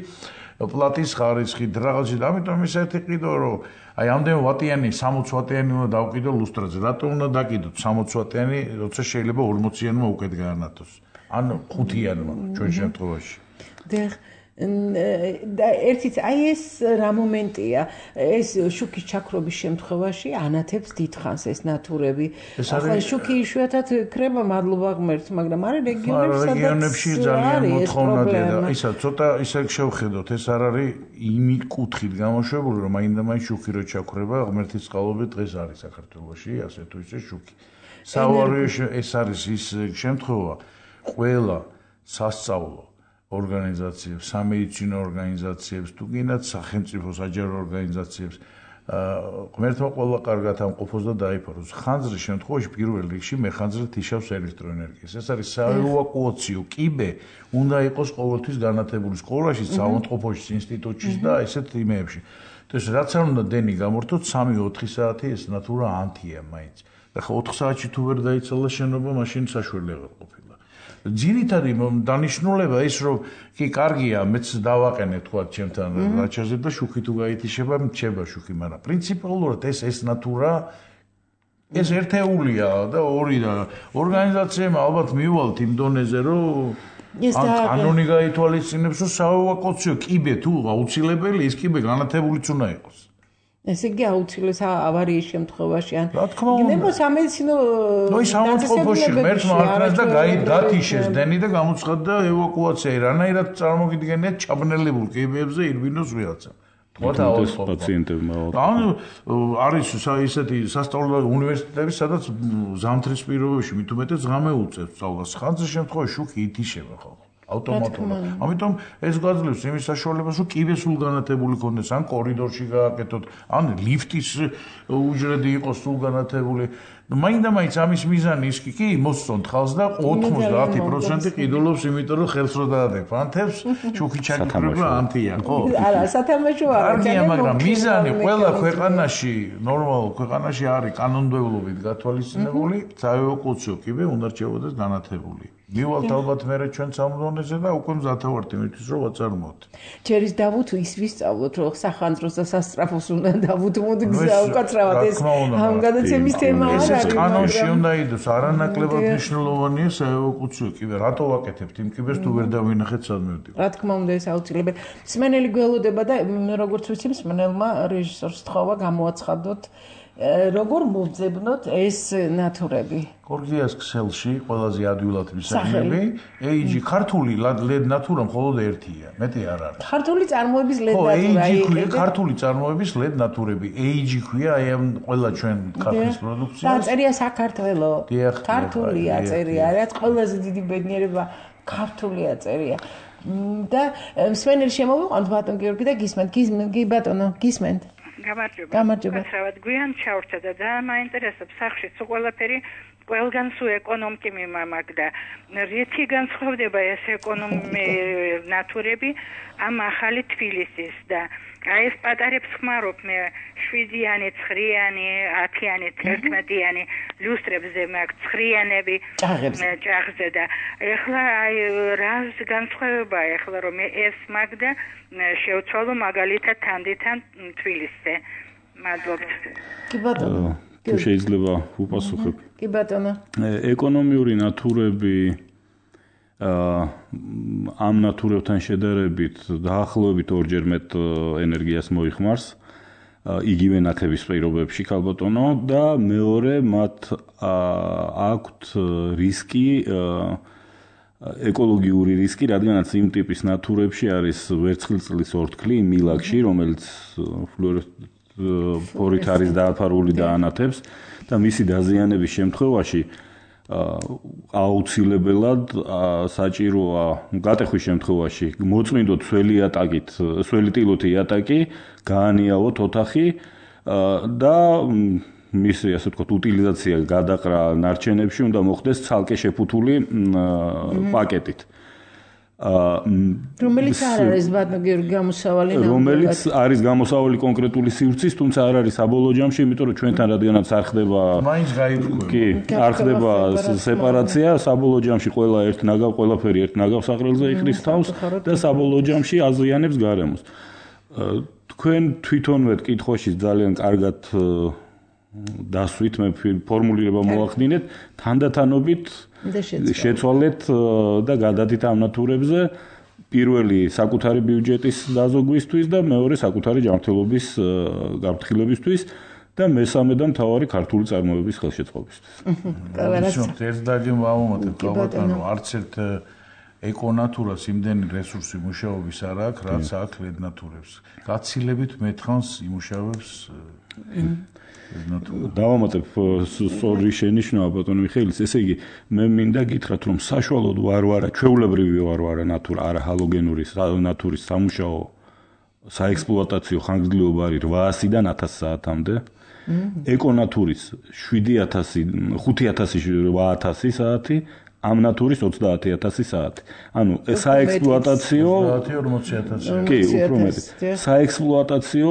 S3: პლატის ხარისხით, რაღაცით, ამიტომ ის ერთი ყიდო რომ აი ამდენ ვატიანი სამოცი ვატიანი უნდა დავყიდო ლუსტრაზე. რატო უნდა დაკიდოთ სამოცი ვატიანი, როცა შეიძლება ორმოციანმა უკეთ გაანათოს. ან ხუთიანმა ჩვენ შემთხვევაში.
S2: დიახ და ერთიც აი ეს რა момენტია ეს შუქის ჩაქრობის შემთხვევაში ანათებს დიდხანს ეს ნათურები ახლა შუქი იშვიათად ქრება მადლობა ღმერთს მაგრამ არის რეგიონებში სადაც
S3: რეგიონებში ძალიან მოთხოვნადია და ისა ცოტა ისე შევხედოთ ეს არ არის იმი კუთხით გამოშვებული რომ აინდა მაინც შუქი რო ჩაქრება ღმერთის წყალობით დღეს არის საქართველოში ასე თუ ისე შუქი საوارიოში ეს არის ის შემთხვევა ყველა სასწავლო ორგანიზაციებს, სამედიცინო ორგანიზაციებს, თუ გინდათ სახელმწიფო საჯარო ორგანიზაციებს, ღმერთმა ყველა კარგად ამყოფოს და დაიფაროს. ხანძრის შემთხვევაში პირველ რიგში მეხანძრით იშავს ელექტროენერგიას. ეს არის საევაკუაციო კიბე, უნდა იყოს ყოველთვის განათებული სკოლაში, საავადმყოფოში, ინსტიტუტში და ესეთ იმეებში. ეს რაც არ უნდა დენი გამორთოთ სამი ოთხი საათი ეს ნატურა ანთია მაინც. ახლა ოთხ საათში თუ ვერ დაიცალა შენობა, მაშინ საშველი აღარ ყოფილა. ძირითადი დანიშნულება ის რომ კი კარგია მეც დავაყენე თქვა ჩემთან რაჩაზე და შუქი თუ გაითიშება მრჩება შუქი მაგრამ პრინციპალურად ეს ეს ნატურა ეს ერთეულია და ორი და ორგანიზაციამ ალბათ მივალთ იმ დონეზე რომ კანონი გაითვალისწინებს რომ საევაკუაციო კიბე თუ აუცილებელი ის კიბე განათებულიც უნდა იყოს
S2: ესე იგი აუცილეს ავარიის შემთხვევაში ან
S3: რა თქმა უნდა
S2: ნებო სამედიცინო
S3: ნუ ის სამწყობოში ღმერთმა არქნას და გათიშეს დენი და გამოცხადდა ევაკუაცია რანაირად წარმოგიდგენიათ ჩაბნელებულ კიბეებზე ირბინოს ვიღაცა თქვა
S1: და პაციენტებმა
S3: ანუ არის ისეთი სასწავლო უნივერსიტეტები სადაც ზამთრის პირობებში მით უმეტეს ღამე უწევს სწავლას ხანძრის შემთხვევაში შუქი ითიშება ხოლმე ავტომატურად. ამიტომ ეს გაძლევს იმის საშუალებას, რომ კიბე სულ განათებული ქონდეს, ან კორიდორში გააკეთოთ, ან ლიფტის უჯრედი იყოს სულ განათებული. მაინდა-მაინც ამის მიზანი ის კი მოსწონთ ხალხს და ოთხმოცდაათი პროცენტი ყიდულობს, იმიტომ რომ ხელს რო დაადებ ანთებს, შუქი ჩაქრება ანთია, ხო?
S2: არა, სათამაშო არა.
S3: კარგია, მაგრამ მიზანი ყველა ქვეყანაში, ნორმალურ ქვეყანაში არის კანონმდებლობით გათვალისწინებული, საევაკუაციო კიბე უნდა რჩებოდეს განათებული. მივალთ ალბათ მე ჩვენ სამდონეზე და უკვე მზათავართ იმისთვის რომ ვაწარმოოთ.
S2: ჯერის დავუთ ის ვისწავლოთ რომ სახანძროს და სასტრაფოს უნდა დავუთმოთ გზა უკაცრავად ეს ამ გადაცემის თემა არ არის.
S3: ეს კანონში უნდა იყოს არანაკლებად მნიშვნელოვანია საევაკუაციო კიბე. რატო ვაკეთებთ იმ კიბეს თუ ვერ დავინახეთ სადმე ვდივართ.
S2: რა თქმა უნდა ეს აუცილებელი. მსმენელი გველოდება და როგორც ვიცი მსმენელმა რეჟისორს თხოვა გამოაცხადოთ როგორ მოვძებნოთ ეს ნათურები?
S3: გორგიას ქსელში ყველაზე ადვილად მისაღები, ეი ჯი ქართული ლედ ნათურა მხოლოდ ერთია, მეტი არ არის.
S2: ქართული წარმოების ლედ ნათურა.
S3: ეი ჯი ქვია ქართული წარმოების ლედ ნათურები. ეი ჯი ქვია აი ამ ყველა ჩვენ ქართლის პროდუქციას.
S2: დაწერია საქართველო. ქართული აწერია, რაც ყველაზე დიდი ბედნიერება ქართული აწერია. და მსმენელი შემოვიყვანთ ბატონ გიორგი და გისმენთ, გისმენთ, ბატონო, გისმენთ.
S5: გამარჯობა.
S2: გამარჯობა.
S5: ხავად გვიან ჩავრჩა და ძალიან მაინტერესებს სახში სულ ყველაფერი ყველგან სულ ეკონომიკი მიმაგდა. რითი განსხვავდება ეს ეკონომი ნათურები ამ ახალი თბილისის და აი ეს პატარებს ხმარობ მე შვიდიანი, ცხრიანი, ათიანი, თერთმეტიანი ლუსტრებზე მაქვს ცხრიანები ჭაღზე და ეხლა აი რა განსხვავება ეხლა რომ ეს მაგდა შევცვალო მაგალითად თანდითან თბილისზე. მადლობთ.
S2: კი ბატონო.
S1: თუ შეიძლება უპასუხებ.
S2: კი ბატონო.
S1: ეკონომიური ნათურები ამ ნათურებთან შედარებით დაახლოებით ორჯერ მეტ ენერგიას მოიხმარს იგივე ნათების პირობებში ქალბატონო და მეორე მათ აქვთ რისკი ეკოლოგიური რისკი, რადგანაც იმ ტიპის ნათურებში არის ვერცხლისწყლის ორთქლი მილაკში, რომელიც ფლუორით არის დააფარული და ანათებს და მისი დაზიანების შემთხვევაში აუცილებელად საჭიროა გატეხვის შემთხვევაში მოწმინდოთ სველი ატაკით, სველი ტილოთი ატაკი, გაანიავოთ ოთახი და მისი ასე ვთქვათ უტილიზაცია გადაყრა ნარჩენებში უნდა მოხდეს ცალკე შეფუთული პაკეტით.
S2: რომელიც არ არის ბატონო გიორგი გამოსავალი
S1: რომელიც არის გამოსავალი კონკრეტული სივრცის, თუმცა არ არის საბოლოო ჯამში, იმიტომ რომ ჩვენთან რადგანაც არ ხდება
S3: მაინც გაიგო.
S1: კი, არ ხდება სეპარაცია, საბოლოო ჯამში ყველა ერთ ნაგავ, ყველაფერი ერთ ნაგავ საყრელზე იყრის თავს და საბოლოო ჯამში აზიანებს გარემოს. თქვენ თვითონვე კითხვაში ძალიან კარგად დასვით მე ფორმულირება მოახდინეთ, თანდათანობით შეცვალეთ და გადადით ამ ნათურებზე პირველი საკუთარი ბიუჯეტის დაზოგვისთვის და მეორე საკუთარი ჯანმრთელობის გაფრთხილებისთვის და მესამე და მთავარი ქართული წარმოების ხელშეწყობისთვის.
S3: ერთ დაგი ვამომატებ ბატონო, არც ერთ ეკონატურას იმდენი რესურსი მუშაობის არ აქვს, რაც აქვს ლედნატურებს. გაცილებით მეთხანს იმუშავებს
S1: დავამატებ სწორი შენიშვნა ბატონო მიხეილის, ესე იგი მე მინდა გითხრათ რომ საშუალოდ ვარვარა, ჩვეულებრივი ვარვარა ნატურა, არა ჰალოგენური ნატურის სამუშაო საექსპლუატაციო ხანგრძლივობა არის რვაასიდან ათას საათამდე. ეკონატურის შვიდი ათასი, ხუთი ათასი, რვა ათასი საათი, ამ ნატურის ოცდაათი ათასი საათი. ანუ საექსპლუატაციო
S3: ოცდაათი ორმოცი ათასი.
S1: კი, უფრო მეტი. საექსპლუატაციო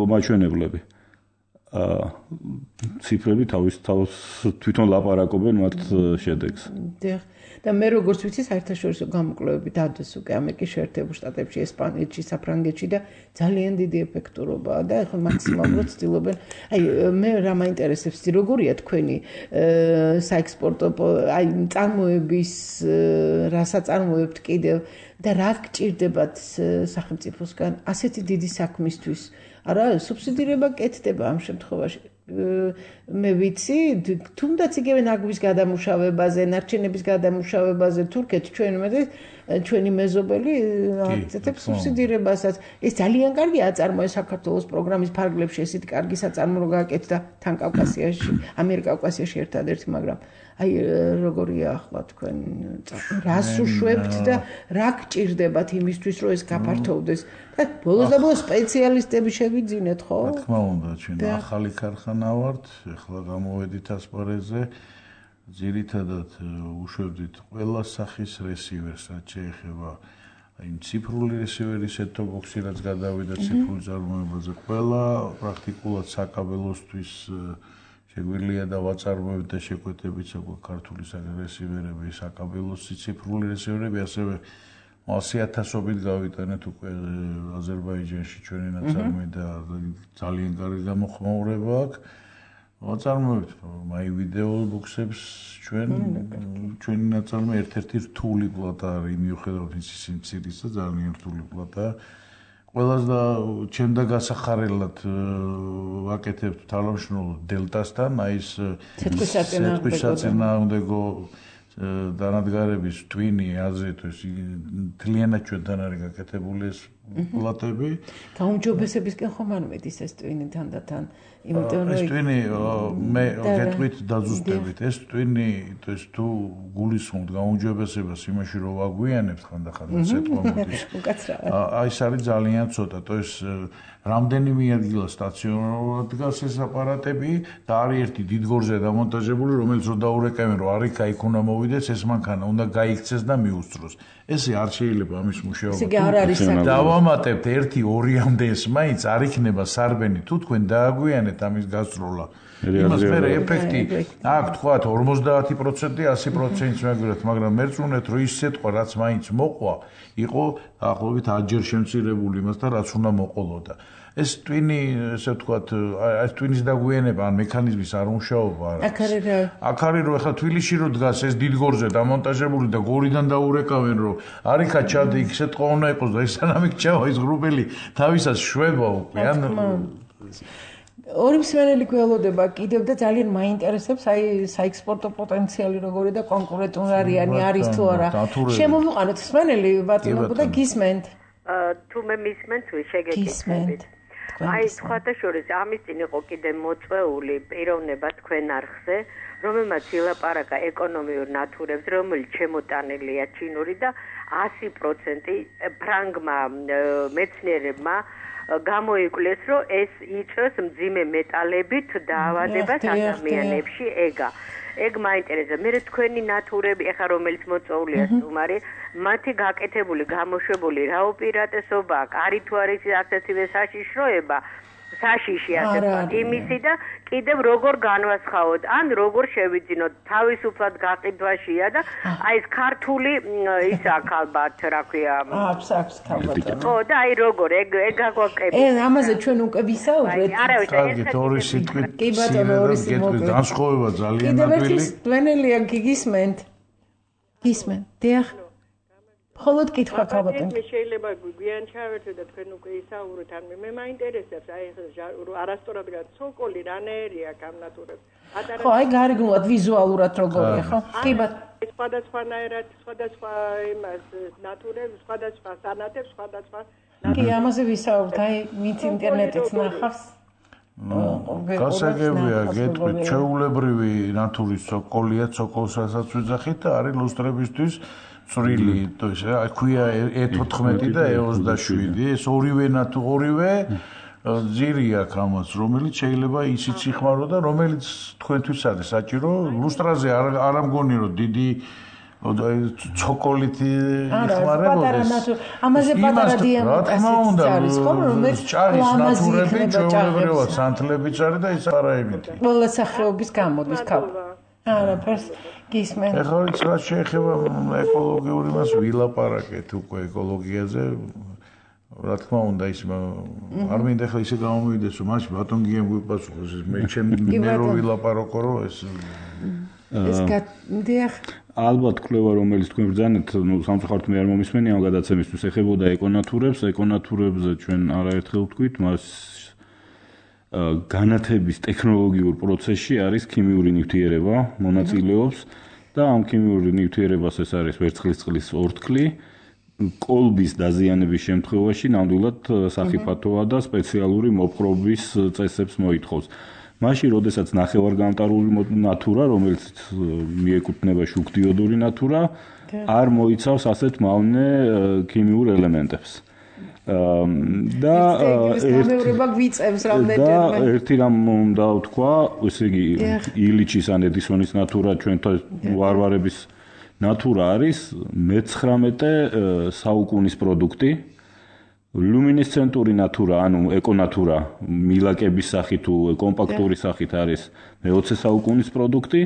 S1: მაჩვენებლები. ციფრები თავის თავს თვითონ ლაპარაკობენ მათ შედეგს.
S2: დიახ. და მე როგორც ვიცი, საერთაშორისო გამოკვლევები დადოს უკვე ამერიკის შეერთებულ შტატებში, ესპანეთში, საფრანგეთში და ძალიან დიდი ეფექტურობაა და ახლა მაქსიმალურად ცდილობენ. აი მე რა მაინტერესებს, როგორია თქვენი საექსპორტო აი წარმოების რა საწარმოებთ კიდევ და რა გჭირდებათ სახელმწიფოსგან ასეთი დიდი საქმისთვის? არა, სუბსიდირება კეთდება ამ შემთხვევაში. მე ვიცი, თუნდაც იგივე ნაგვის გადამუშავებაზე, ნარჩენების გადამუშავებაზე თურქეთ ჩვენ მე ჩვენი მეზობელი აკეთებს სუბსიდირებასაც. ეს ძალიან კარგი აწარმოა საქართველოს პროგრამის ფარგლებში, ესეთი კარგი საწარმო რო გააკეთდა თან კავკასიაში, ამიერკავკასიაში ერთადერთი, მაგრამ აი როგორია ახლა თქვენ რას უშვებთ და რა გჭირდებათ იმისთვის რომ ეს გაფართოვდეს და ბოლოს და ბოლოს სპეციალისტები შევიძინეთ ხო?
S3: რა თქმა უნდა, ჩვენ ახალი ქარხანა ვართ, ახლა გამოვედით ასპარეზზე, ძირითადად უშვებდით ყველა სახის რესივერს, რაც შეეხება იმ ციფრული რესივერის set-top-box-ი, რაც გადავიდა ციფრული წარმოებაზე, ყველა პრაქტიკულად საკაბელოსთვის შეგვიძლია და ვაწარმოებთ და შეკვეთებით საკუთარ ქართული რესივერები, საკაბელოსი ციფრული რესივერები, ასევე ასი ათასობით გავიტანეთ უკვე აზერბაიჯანში ჩვენი ნაწარმოები და ძალიან კარგი გამოხმაურება აქვს. ვაწარმოებთ მაი ვიდეო ბოქსებს ჩვენ ჩვენი ნაწარმოები ერთ-ერთი რთული პლატა არის, მიუხედავად იმისა, სიმცირისა ძალიან რთული პლატაა. ყველას და ჩემ და გასახარებლად ვაკეთებთ თანამშრომლობ დელტასთან, აი ეს ცეკვისაწინააღმდეგო დანადგარების twin-ი აზრით ეს თლიანად ჩვენთან არის გაკეთებული ეს პლატები.
S2: გაუმჯობესებისკენ ხომ არ მედის ეს twin-ი თანდათან, იმიტომ რომ
S3: ეს twin-ი მე გეტყვით დაზუსტებით, ეს twin-ი ეს თუ გულისხმობთ გაუმჯობესებას იმაში რომ ვაგვიანებთ ხანდახან ცეტყვა მოდის. აი ეს არის ძალიან ცოტა, то есть რამდენიმე ადგილა სტაციონარულად დგას ეს აპარატები და არის ერთი დიდგორზე დამონტაჟებული, რომელიც რო დაურეკავენ, რომ არ იქა იქ უნდა მოვიდეს, ეს მანქანა უნდა გაიქცეს და მიუსწროს. ესე არ შეიძლება ამის მუშაობა.
S2: ესე არ არის საკითხი.
S3: დავამატებთ ერთი ორიამდე ეს მაინც არ იქნება სარბენი თუ თქვენ დააგვიანეთ ამის გასწროლა. იმას მე ეფექტი აქ თქვა ორმოცდაათი პროცენტი ასი პროცენტს მეგვირათ, მაგრამ მერწმუნეთ რომ ის სიტყვა რაც მაინც მოყვა, იყო დაახლოებით ათჯერ შემცირებული იმასთან, რაც უნდა მოყოლოდა. ეს ტვინი, ესე ვთქვათ, ეს ტვინის დაგვიანება ან მექანიზმის არ მუშაობა არა.
S2: აქ არის რა?
S3: აქ არის რომ ეხლა თბილისში რო დგას ეს დიდგორზე დამონტაჟებული და გორიდან დაურეკავენ რომ არიქა ჩადი იქ სიტყვა უნდა იყოს და ეს სანამ ჩავა ის გრუპელი თავისას შვება უკვე ან
S2: ორი მსმენელი გველოდება კიდევ და ძალიან მაინტერესებს აი საექსპორტო პოტენციალი როგორი და კონკურენტუნარიანი არის თუ არა. შემოვიყვანოთ მსმენელი ბატონო და გისმენთ.
S6: თუ მე მისმენთ შეგეკითხებით. აი სხვათა შორის ამის წინ იყო კიდე მოწვეული პიროვნება თქვენ არხზე, რომელმაც ილაპარაკა ეკონომიურ ნათურებს, რომელიც შემოტანილია ჩინური და ასი პროცენტი ფრანგმა მეცნიერებმა გამოიკვლიეს, რომ ეს იწვევს მძიმე მეტალებით დაავადებას ადამიანებში ეგა. ეგ მაინტერესებს. მე თქვენი ნათურები, ეხა რომელიც მოწვეულია სტუმარი, მათი გაკეთებული, გამოშვებული რა უპირატესობა, კარი თუ არის ასეთივე საშიშროება, საშიში ასე ვთქვათ, იმისი და კიდევ როგორ განვასხავოთ, ან როგორ შევიძინოთ, თავისუფლად გაყიდვაშია და აი ეს ქართული ის აქ ალბათ რა ქვია.
S2: აქვს აქვს ქალბატონო.
S6: ხო, და აი როგორ ეგ ეგ აგვაკეთეთ.
S2: ე ამაზე ჩვენ უკვე ვისაუბრეთ.
S6: არა,
S3: ეს ორი სიტყვით.
S2: კი ბატონო, ორი სიტყვით.
S3: განსხვავება ძალიან
S2: ნაკლია.
S3: ნაკლია.
S2: დვენელია გისმენთ. გისმენთ. დიახ. ხოლოდ კითხვა ქალბატონო.
S7: მე შეიძლება გვიან ჩავერთო და თქვენ უკვე ისაუბრეთ, ან მე მაინტერესებს აი არასწორად ცოკოლი რანაირია გამნათურებს.
S2: ხო, აი გარეგნულად ვიზუალურად როგორია, ხო? კი ბატონო.
S7: სხვადასხვანაირად, სხვადასხვა იმას ნათურებს, სხვადასხვა სანათებს, სხვადასხვა
S2: კი, ამაზე ვისაუბრეთ, აი მით ინტერნეტით ნახავს.
S3: გასაგებია, გეტყვით, ჩვეულებრივი ნათურის ცოკოლია, ცოკოლსაც ვიძახით და არის ლუსტრებისთვის წვრილი, ეს რა ქვია ე თოთხმეტი და ე ოცდაშვიდი, ეს ორივე ნათუ ორივე ძირი აქვს ამას, რომელიც შეიძლება ისიც იხმარო და რომელიც თქვენთვის არის საჭირო. ლუსტრაზე არ არ ამგონი რომ დიდი ცოკოლით იხმარებოდეს.
S2: ამაზე პატარა დიამეტრით არის, ხო, რომელიც
S3: ჭაღის ნათურები ჩვეულებრივად სანთლებიც არის და ის არაებითი.
S2: ყველა სახეობის გამოდის ქალ. არაფერს გისმენ.
S3: ეხლა ის რა შეეხება ეკოლოგიური მას ვილაპარაკეთ უკვე ეკოლოგიაზე. რა თქმა უნდა ის არ მინდა ახლა ისე გამომივიდეს რომ მაშინ ბატონ გიემ გვიპასუხოს ეს მე ჩემი მე რო ვილაპარაკო რომ ეს
S2: ეს გადიახ
S1: ალბათ კვლევა რომელიც თქვენ ბრძანეთ ნუ სამწუხაროდ მე არ მომისმენი ამ გადაცემისთვის ეხებოდა ეკონათურებს ეკონათურებზე ჩვენ არაერთხელ ვთქვით მას განათების ტექნოლოგიურ პროცესში არის ქიმიური ნივთიერება მონაწილეობს და ამ ქიმიური ნივთიერებას ეს არის ვერცხლის წყლის ორთქლი კოლბის დაზიანების შემთხვევაში ნამდვილად სახიფათოა და სპეციალური მოპყრობის წესებს მოითხოვს. მაშინ, როდესაც ნახევარგამტარული ნათურა, რომელიც მიეკუთვნება შუქდიოდური ნათურა, არ მოიცავს ასეთ მავნე ქიმიურ ელემენტებს. და
S2: გამეორება გვიწევს რამდენჯერმე.
S1: და ერთი რამ უნდა ვთქვა, ესე იგი ილიჩის ან ედისონის ნათურა ჩვენთან ვარვარების ნათურა არის მეცხრამეტე საუკუნის პროდუქტი. ლუმინესცენტური ნათურა, ანუ ეკონათურა, მილაკების სახით თუ კომპაქტური სახით არის მეოცე საუკუნის პროდუქტი.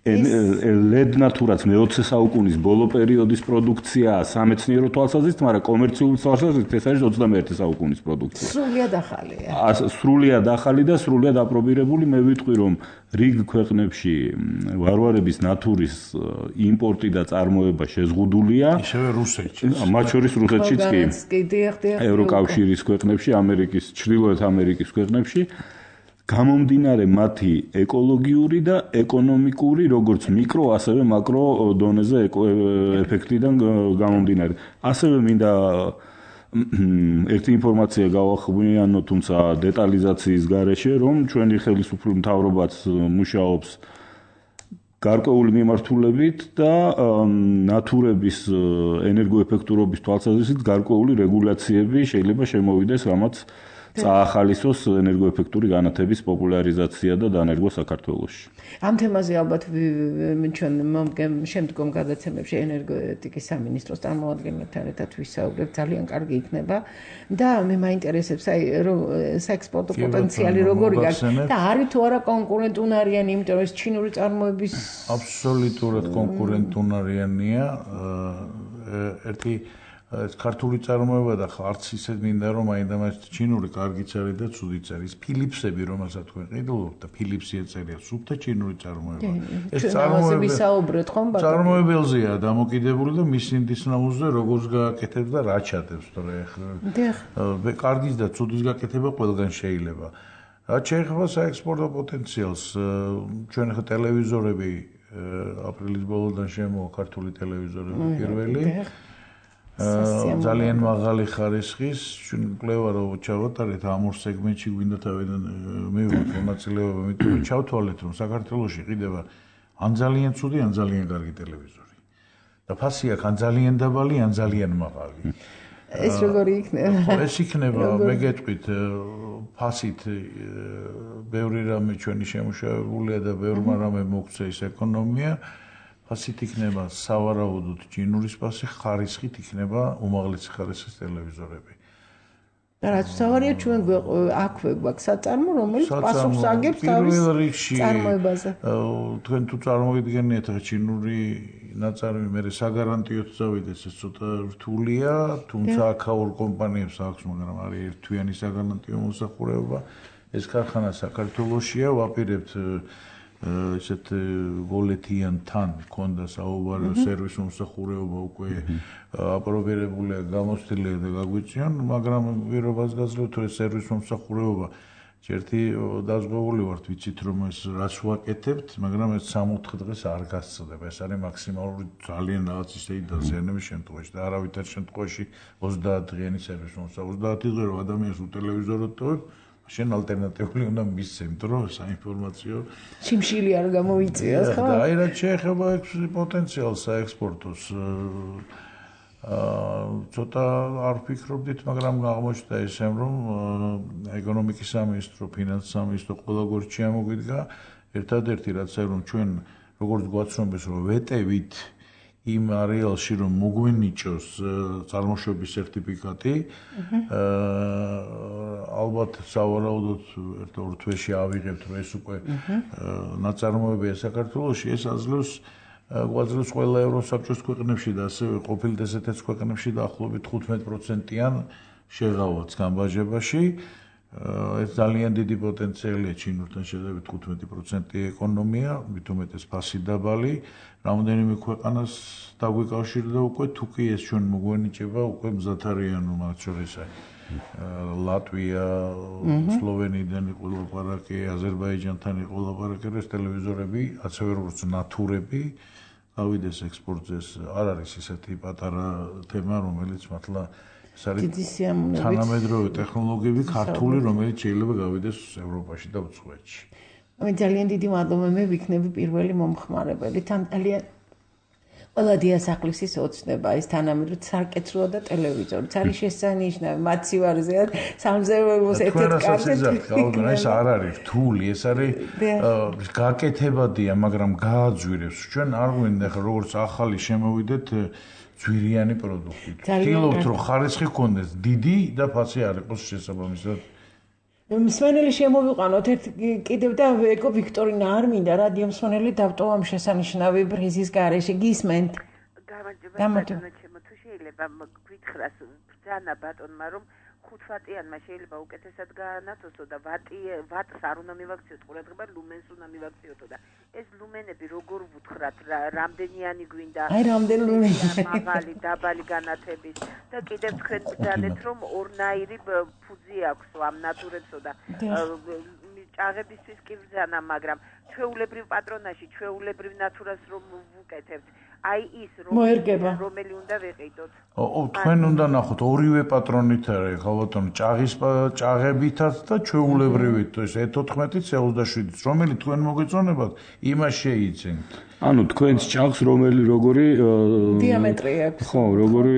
S1: ლედ ნათურაც მეოცე საუკუნის ბოლო პერიოდის პროდუქციაა სამეცნიერო თვალსაზრისით, მაგრამ კომერციული თვალსაზრისით ეს არის ოცდამეერთე საუკუნის პროდუქცია.
S2: სრულიად ახალია.
S1: სრულიად ახალი და სრულიად აპრობირებული. მე ვიტყვი რომ რიგ ქვეყნებში ვარვარების ნათურის იმპორტი და წარმოება შეზღუდულია.
S3: ისევე რუსეთში.
S1: მათ შორის რუსეთშიც კი. ევროკავშირის ქვეყნებში, ამერიკის, ჩრდილოეთ ამერიკის ქვეყნებში. გამომდინარე მათი ეკოლოგიური და ეკონომიკური, როგორც მიკრო, ასევე მაკრო დონეზე ეფექტიდან გამომდინარე. ასევე მინდა ერთი ინფორმაცია გავახვინო, თუმცა დეტალიზაციის გარეშე, რომ ჩვენი ხელისუფლების მთავრობაც მუშაობს გარკვეული მიმართულებით და ნათურების ენერგოეფექტურობის თვალსაზრისით გარკვეული რეგულაციები შეიძლება შემოვიდეს, რამაც წაახალისოს ენერგოეფექტური განათების პოპულარიზაცია და დანერგვა საქართველოში.
S2: ამ თემაზე ალბათ ჩვენ შემდგომ გადაცემებში ენერგეტიკის სამინისტროს წარმომადგენლებთან ერთად ვისაუბრებთ, ძალიან კარგი იქნება და მე მაინტერესებს აი საექსპორტო პოტენციალი როგორი აქვს და არის თუ არა კონკურენტუნარიანი, იმიტომ რომ ეს ჩინური წარმოების
S3: აბსოლუტურად კონკურენტუნარიანია. ერთი ეს ქართული წარმოება და არც ისე მინდა რომ აინდამაც ჩინური კარგიც არის და ცუდიც არის. ფილიპსები რომელსაც თქვენ ყიდულობთ და ფილიპსი ეწერია სუფთა ჩინური წარმოება.
S2: ეს წარმოებები საუბრეთ ხომ ბატონო?
S3: წარმოებელზეა დამოკიდებული და მის ინდისნაუზზე როგორც გააკეთებს და რა ჩადებს თორე ახლა. კარგის და ცუდის გაკეთება ყველგან შეიძლება. რაც შეეხება საექსპორტო პოტენციალს, ჩვენ ახლა ტელევიზორები აპრილის ბოლოდან შემოვა ქართული ტელევიზორები პირველი. ძალიან მაღალი ხარისხის, ჩვენ კვლევა რო ჩავატარეთ ამ ორ სეგმენტში გვინდა თავიდან მივიღოთ მონაწილეობა, იმიტომ რომ ჩავთვალეთ რომ საქართველოში ყიდება ან ძალიან ცუდი, ან ძალიან კარგი ტელევიზორი. და ფასი აქვს ან ძალიან დაბალი, ან ძალიან მაღალი.
S2: ეს როგორი იქნება?
S3: ეს იქნება, მე გეტყვით, ფასით ბევრი რამე ჩვენი შემუშავებულია და ბევრმა რამე მოგწე ის ეკონომია. ფასით იქნება სავარაუდოდ ჩინურის ფასი, ხარისხით იქნება უმაღლესი ხარისხის ტელევიზორები.
S2: და რაც სავარია ჩვენ აქვე გვაქვს საწარმო, რომელიც პასუხს აგებს თავის წარმოებაზე.
S3: თქვენ თუ წარმოგიდგენიათ ახლა ჩინური ნაწარმი მე საგარანტიოდ წავიდეს, ეს ცოტა რთულია, თუმცა აქაურ კომპანიებს აქვს, მაგრამ არის ერთთვიანი საგარანტიო მოსახურება. ეს ქარხანა საქართველოშია, ვაპირებთ ესეთ ვოლეთიანთან მქონდა საუბარი სერვის მომსახურება უკვე აპრობირებულია, გამოცდილია და გაგვიწიონ, მაგრამ პირობას გაძლევთ რომ ეს სერვის მომსახურება ერთი დაზღვეული ვართ, ვიცით რომ ეს რას ვაკეთებთ, მაგრამ ეს სამოთხე დღეს არ გასწდება. ეს არის მაქსიმალური ძალიან რაღაც ისეთი დაზიანების შემთხვევაში და არავითარ შემთხვევაში ოცდაათი დღიანი სერვის მომსახურება. ოცდაათი დღე რომ ადამიანს უტელევიზორად ტოვებ, შენ ალტერნატიული უნდა მისცემ, რომ საინფორმაციო
S2: შიმშილი არ გამოიწიოს, ხო?
S3: და აი რაც შეეხება პოტენციალს საექსპორტოს, აა ცოტა არ ვფიქრობდით, მაგრამ აღმოჩნდა ისე რომ ეკონომიკის სამინისტრო, ფინანსის სამინისტრო ყველაგორ შემოგვიდგა, ერთადერთი რაც არის რომ ჩვენ როგორც გვაცნობეს რომ ვეტევით იმ არეალში რომ მოგვენიჭოს წარმოშობის სერტიფიკატი, ალბათ სავარაუდოდ ერთ-ორ თვეში ავიღებთ რომ ეს უკვე ნაწარმოებია საქართველოში, ეს აძლევს გვაძლევს ყველა ევროსაბჭოს ქვეყნებში და ასევე ყოფილ ესეთაც ქვეყნებში დაახლოებით თხუთმეტ პროცენტიან შეღავათ გამბაჟებაში. ეს ძალიან დიდი პოტენციალია ჩინურთან შედარებით თხუთმეტი პროცენტი ეკონომია, მით უმეტეს ფასი დაბალი, რამდენიმე ქვეყანას დაგვიკავშირდა უკვე, თუ კი ეს ჩვენ მოგვენიჭება, უკვე მზად არიან მათ შორის ლატვია, სლოვენიიდან იყო ლაპარაკი, აზერბაიჯანთან იყო ლაპარაკი, ეს ტელევიზორები, ასევე როგორც ნათურები, გავიდეს ექსპორტზე, არ არის ისეთი პატარა თემა, რომელიც მართლა ეს არის თანამედროვე ტექნოლოგიები ქართული, რომელიც შეიძლება გავიდეს ევროპაში და უცხოეთში.
S2: მე ძალიან დიდი მადლობა, მე ვიქნები პირველი მომხმარებელი. თან ძალიან ყველა დიასახლისის ოცნება ის თანამედროვე სარკეთროა და ტელევიზორიც არის შესანიშნავი, მათ სივარზეა სამზეველოს ერთ-ერთ
S3: კარგი. ეს არ არის რთული, ეს არის გაკეთებადია, მაგრამ გააძვირებს. ჩვენ არ გვინდა ხა როგორც ახალი შემოვიდეთ ძვირიანი პროდუქტი. ვთქვით რომ ხარისხი გქონდეს დიდი და ფასი არ იყოს შესაბამისად.
S2: მსმენელი შემოვიყვანოთ ერთ კიდევ და ეკო ვიქტორინა არ მინდა რადიო მსმენელი დავტოვა ამ შესანიშნავი პრიზის გარეშე გისმენთ.
S8: გამარჯობა ჩემო, თუ შეიძლება გვითხრას ბრძანა ბატონმა რომ ხუთ ვატიანმა შეიძლება უკეთესად გაანათოსო და ვატი ვატს არ უნდა მივაქციოთ ყურადღება, ლუმენს უნდა მივაქციოთო და ეს ლუმენები როგორ ვუთხრათ, რამდენიანი გვინდა?
S2: აი რამდენი ლუმენი
S8: მაღალი, დაბალი განათების და კიდევ თქვენ ბრძანეთ რომ ორნაირი ფუძი აქვს ამ ნატურებსო და ჭაღებისთვის კი ბრძანა, მაგრამ ჩვეულებრივ პატრონაჟი, ჩვეულებრივ ნატურას რომ ვუკეთებთ, აი ის რომელი უნდა ვიყიდოთ.
S3: ო, თქვენ უნდა ნახოთ ორივე პატრონით არის, ხო ბატონო, ჭაღის ჭაღებითაც და ჩვეულებრივით, ეს ე თოთხმეტიც ოცდაშვიდიც, რომელი თქვენ მოგეწონებათ, იმას შეიძენთ.
S1: ანუ თქვენს ჭაღს რომელი როგორი
S2: დიამეტრი აქვს.
S1: ხო, როგორი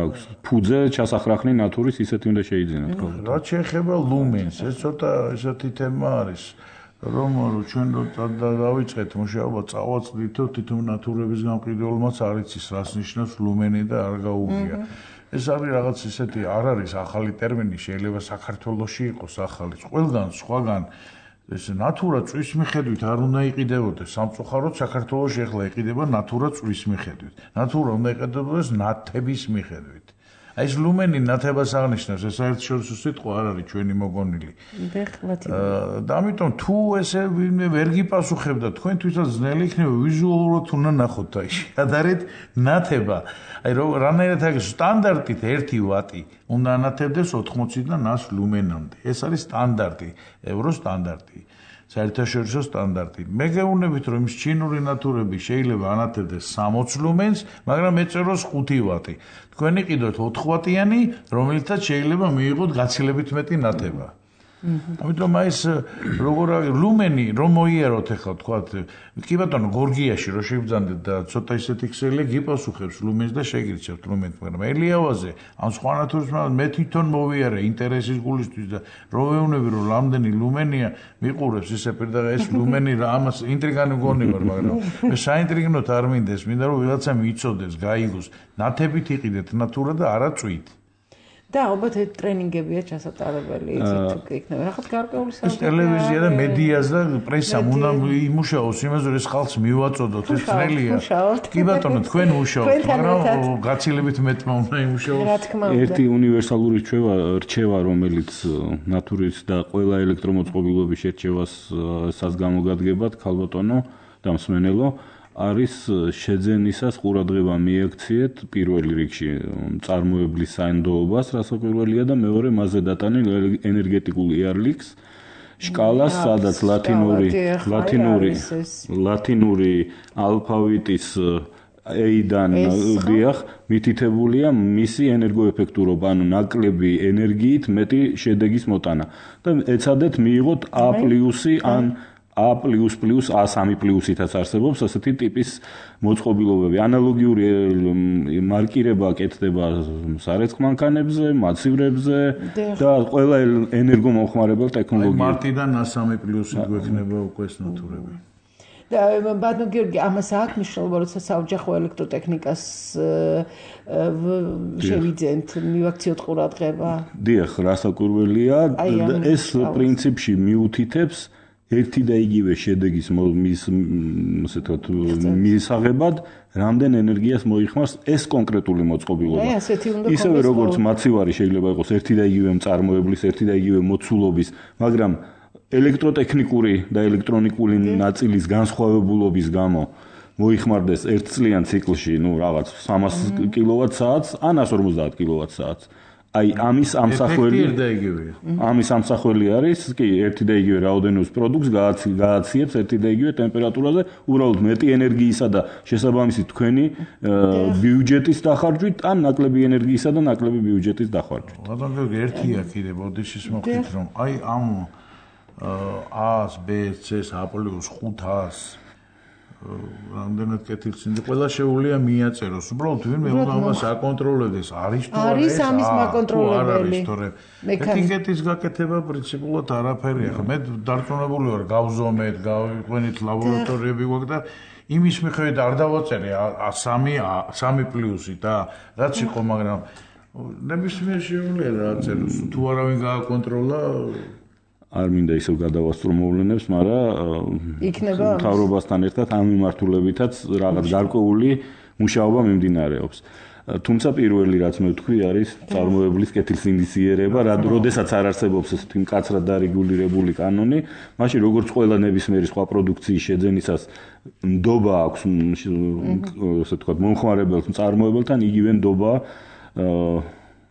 S1: აქვს. ფუძე ჩასახრახნი ნატურის ისეთი უნდა შეიძენოთ, ხო.
S3: რაც შეეხება ლუმენს, ეს ცოტა ესეთი თემა არის. რომ ჩვენ დავიწყეთ მუშაობა წავაწყდითო თვითონ ნატურების გამყიდველმაც არ იცის რას ნიშნავს ლუმენი და არ გაუგია. ეს არის რაღაც ისეთი არ არის ახალი ტერმინი, შეიძლება საქართველოში იყოს ახალი. ყველგან სხვაგან ეს ნატურა წვის მიხედვით არ უნდა იყიდებოდეს. სამწუხაროდ საქართველოში ახლა იყიდება ნატურა წვის მიხედვით. ნატურა უნდა იყიდებოდეს ნათების მიხედვით. აი ეს ლუმენი ნათებას აღნიშნავს, ეს საერთაშორისო სიტყვა არ არის ჩვენი მოგონილი. და ამიტომ თუ ესე ვინმე ვერ გიპასუხებდა, თქვენ თვითონ ძნელი იქნება ვიზუალურად უნდა ნახოთ აი შედარეთ ნათება. აი რანაირად არის სტანდარტით ერთი ვატი უნდა ანათებდეს ოთხმოციდან ას ლუმენამდე. ეს არის სტანდარტი, ევრო სტანდარტი. საერთაშორისო სტანდარტი. მე გეუბნებით რომ ის ჩინური ნატურები შეიძლება ანათებდეს სამოცი ლუმენს, მაგრამ ეწეროს ხუთი ვატი. თქვენ იყიდოთ ოთხ ვატიანი, რომელიცაც შეიძლება მიიღოთ გაცილებით მეტი ნათება. ამიტომ აი ეს როგორ არის ლუმენი რომ მოიაროთ ახლა თქვათ კი ბატონო გორგიაში რო შევბძანდეთ და ცოტა ისეთი ქსელი გიპასუხებს ლუმენს და შეგირჩევთ ლუმენს, მაგრამ ელიავაზე ან სხვა ნატურის მე თვითონ მოვიარე ინტერესის გულისთვის და რო ვეუბნები რომ რამდენი ლუმენია მიყურებს ისე პირდაღა ეს ლუმენი რა ამას ინტრიგანი მგონი ვარ, მაგრამ მე საინტრიგნოთ არ მინდეს, მინდა რომ ვიღაცა მიცოდეს, გაიგოს, ნათებით იყიდეთ ნატურა და არა წვით.
S2: და ალბათ ტრენინგებია ჩასატარებელი, იცით თუ იქნება. რაღაც გარკვეული
S3: ეს ტელევიზია და მედიას და პრესამ უნდა იმუშაოს, იმაზე რომ ეს ხალხს მივაწოდოთ, ეს ძნელია. კი ბატონო, თქვენ მუშაობთ, მაგრამ გაცილებით მეტმა უნდა იმუშაოს.
S1: ერთი უნივერსალური რჩევა, რჩევა, რომელიც ნატურის და ყველა ელექტრომოწყობილობის შერჩევას საზგამოგადგებათ, ქალბატონო და მსმენელო, არის შეძენისას ყურადღება მიექციეთ პირველ რიგში წარმოებლის საინდოობას, რასაც პირველია და მეორე მასზე დატანილ ენერგეტიკულ იარლიქს შკალას, სადაც ლათინური ლათინური ლათინური ალფავიტის A-დან დიახ მითითებულია მისი ენერგოეფექტურობა, ანუ ნაკლები ენერგიით მეტი შედეგის მოტანა და ეცადეთ მიიღოთ A+ ან A++ A სამი პლუსითაც არსებობს ასეთი ტიპის მოწყობილობები. ანალოგიური მარკირება კეთდება სარეცხ მანქანებზე, მაცივრებზე და ყველა ენერგომომხმარებელ ტექნოლოგიებში.
S3: მარტიდან A სამი პლუსი გვექნება უკვე ეს ნატურები.
S2: და ბატონო გიორგი, ამას აქვს მნიშვნელობა, როცა საოჯახო ელექტროტექნიკას შევიძენთ, მივაქციოთ ყურადღება?
S1: დიახ, რასაკვირველია, ეს პრინციპში მიუთითებს ერთი და იგივე შედეგის მის ასე ვთქვათ მისაღებად რამდენ ენერგიას მოიხმარს ეს კონკრეტული მოწყობილობა. ისევე როგორც მაცივარი შეიძლება იყოს ერთი და იგივე მწარმოებლის, ერთი და იგივე მოცულობის, მაგრამ ელექტროტექნიკური და ელექტრონიკული ნაწილის განსხვავებულობის გამო მოიხმარდეს ერთწლიან ციკლში, ну, რაღაც სამას კილოვატ-საათს ან ას ორმოცდაათ კილოვატ-საათს. აი ამის ამსახველი ამის ამსახველი არის კი ერთი და იგივე რაოდენობის პროდუქტს გააციებს ერთი და იგივე ტემპერატურაზე, უბრალოდ მეტი ენერგიისა და შესაბამისით თქვენი ბიუჯეტის დახარჯვით ან ნაკლები ენერგიისა და ნაკლები ბიუჯეტის დახარჯვით.
S3: ბატონო, ერთია კიდე ბოდიშის მოხდით რომ აი ამ A-ს, B-ს, C-ს, A+ ხუთას რამდენად კეთილსინდი ყველა შეუულია მიაწეროს. უბრალოდ ვინმე უნდა ამას აკონტროლებს. არის თუ არა
S2: არის ამის მაკონტროლებელი.
S3: ეტიკეტის გაკეთება პრინციპულად არაფერია. მე დარწმუნებული ვარ, გავზომეთ, გავიყვენით ლაბორატორიები გვაქვს და იმის მიხედვით არ დავაწერე A სამი, A სამი პლუსი და რაც იყო, მაგრამ ნებისმიერ შეუულია დააწეროს. თუ არავინ გააკონტროლა
S1: არ მინდა ისევ გადავასწრო მოვლენებს, მაგრამ
S2: იქნება
S1: მთავრობასთან ერთად ამ მიმართულებითაც რაღაც გარკვეული მუშაობა მიმდინარეობს. თუმცა პირველი რაც მე ვთქვი არის წარმოებლის კეთილსინდისიერება, როდესაც არ არსებობს ესეთი მკაცრად დარეგულირებული კანონი, მაშინ როგორც ყველა ნებისმიერი სხვა პროდუქციის შეძენისას ნდობა აქვს, ასე ვთქვათ, მომხმარებელს, მწარმოებელთან იგივე ნდობა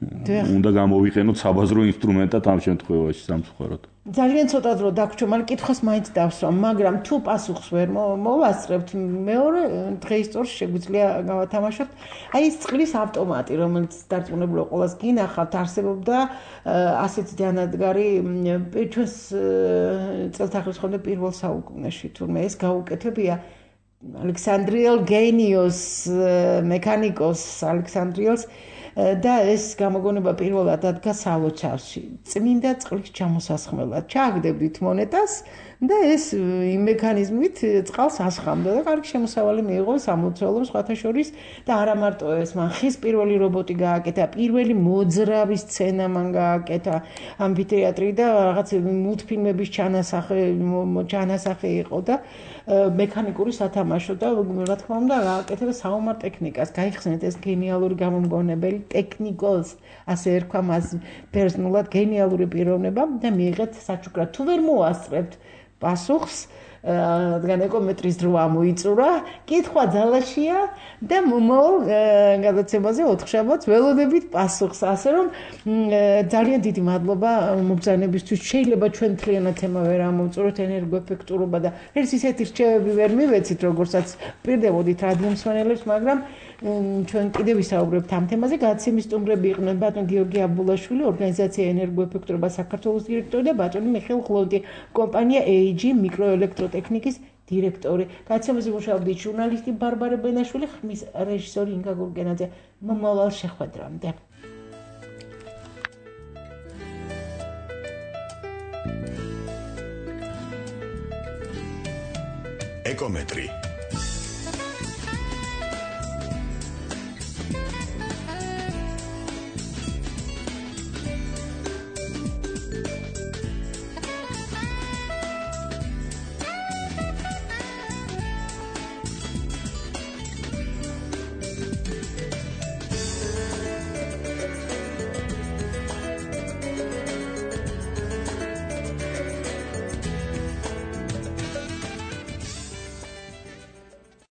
S1: უნდა გამოვიყენოთ საბაზრო ინსტრუმენტად ამ შემთხვევაში სამწუხაროდ.
S2: ძალიან ცოტა დრო დაგვრჩა, მაგრამ კითხვას მაინც დავსვა, მაგრამ თუ პასუხს ვერ მოვასწრებთ, მეორე დღეს წორს შეგვიძლია გავათამაშოთ. აი ეს წყლის ავტომატი, რომელიც დარწმუნებულად ყველას გინახავთ, არსებობდა ასეთი დანადგარი ჩვენს წელთაღრიცხვის ხოლმე პირველ საუკუნეში, თურმე ეს გაუკეთებია ალექსანდრიელ გენიოს მექანიკოს ალექსანდრიელს და ეს გამოგონება პირველად დადგა სალოცავში. წმინდა წყლის ჩამოსასხმელად. ჩააგდებდით მონეტას და ეს იმ მექანიზმით წყალს ასხამდა და კარგი შემოსავალი მიიღო სამლოცველოს სხვათა შორის და არა მარტო ეს, მან ხის პირველი რობოტი გააკეთა, პირველი მოძრავი სცენა მან გააკეთა ამფითეატრი და რაღაც მულტფილმების ჩანასახე ჩანასახე იყო და მექანიკური სათამაშო და რა თქმა უნდა გააკეთა საომარ ტექნიკას. გაიხსენეთ ეს გენიალური გამომგონებელი ტექნიკოს, ასე ერქვა მას პერსონულად გენიალური პიროვნება და მიიღეთ საჩუქრად. თუ ვერ მოასწრებთ პასუხს, რადგან ეკომეტრის დრო ამოიწურა, კითხვა ძალაშია და მომავალ გადაცემაზე ოთხშაბათს ველოდებით პასუხს, ასე რომ ძალიან დიდი მადლობა მობრძანებისთვის. შეიძლება ჩვენ მთლიანად თემა ვერ ამოვწუროთ, ენერგოეფექტურობა და ერთ ისეთი რჩევები ვერ მივეცით, როგორცაც პირდებოდით რადიო მსმენელებს, მაგრამ ჩვენ კიდევ ვისაუბრებთ ამ თემაზე. გადაცემის სტუმრები იყვნენ ბატონი გიორგი აბულაშვილი, ორგანიზაცია ენერგოეფექტურობა საქართველოს დირექტორი და ბატონი მიხეილ ხლონტი, კომპანია ეი ჯი მიკროელექტროტექნიკის დირექტორი. გადაცემაზე მუშაობდით ჟურნალისტი ბარბარე ბენაშვილი, ხმის რეჟისორი ინგა გურგენაძე. მომავალ შეხვედრამდე.
S9: ეკომეტრი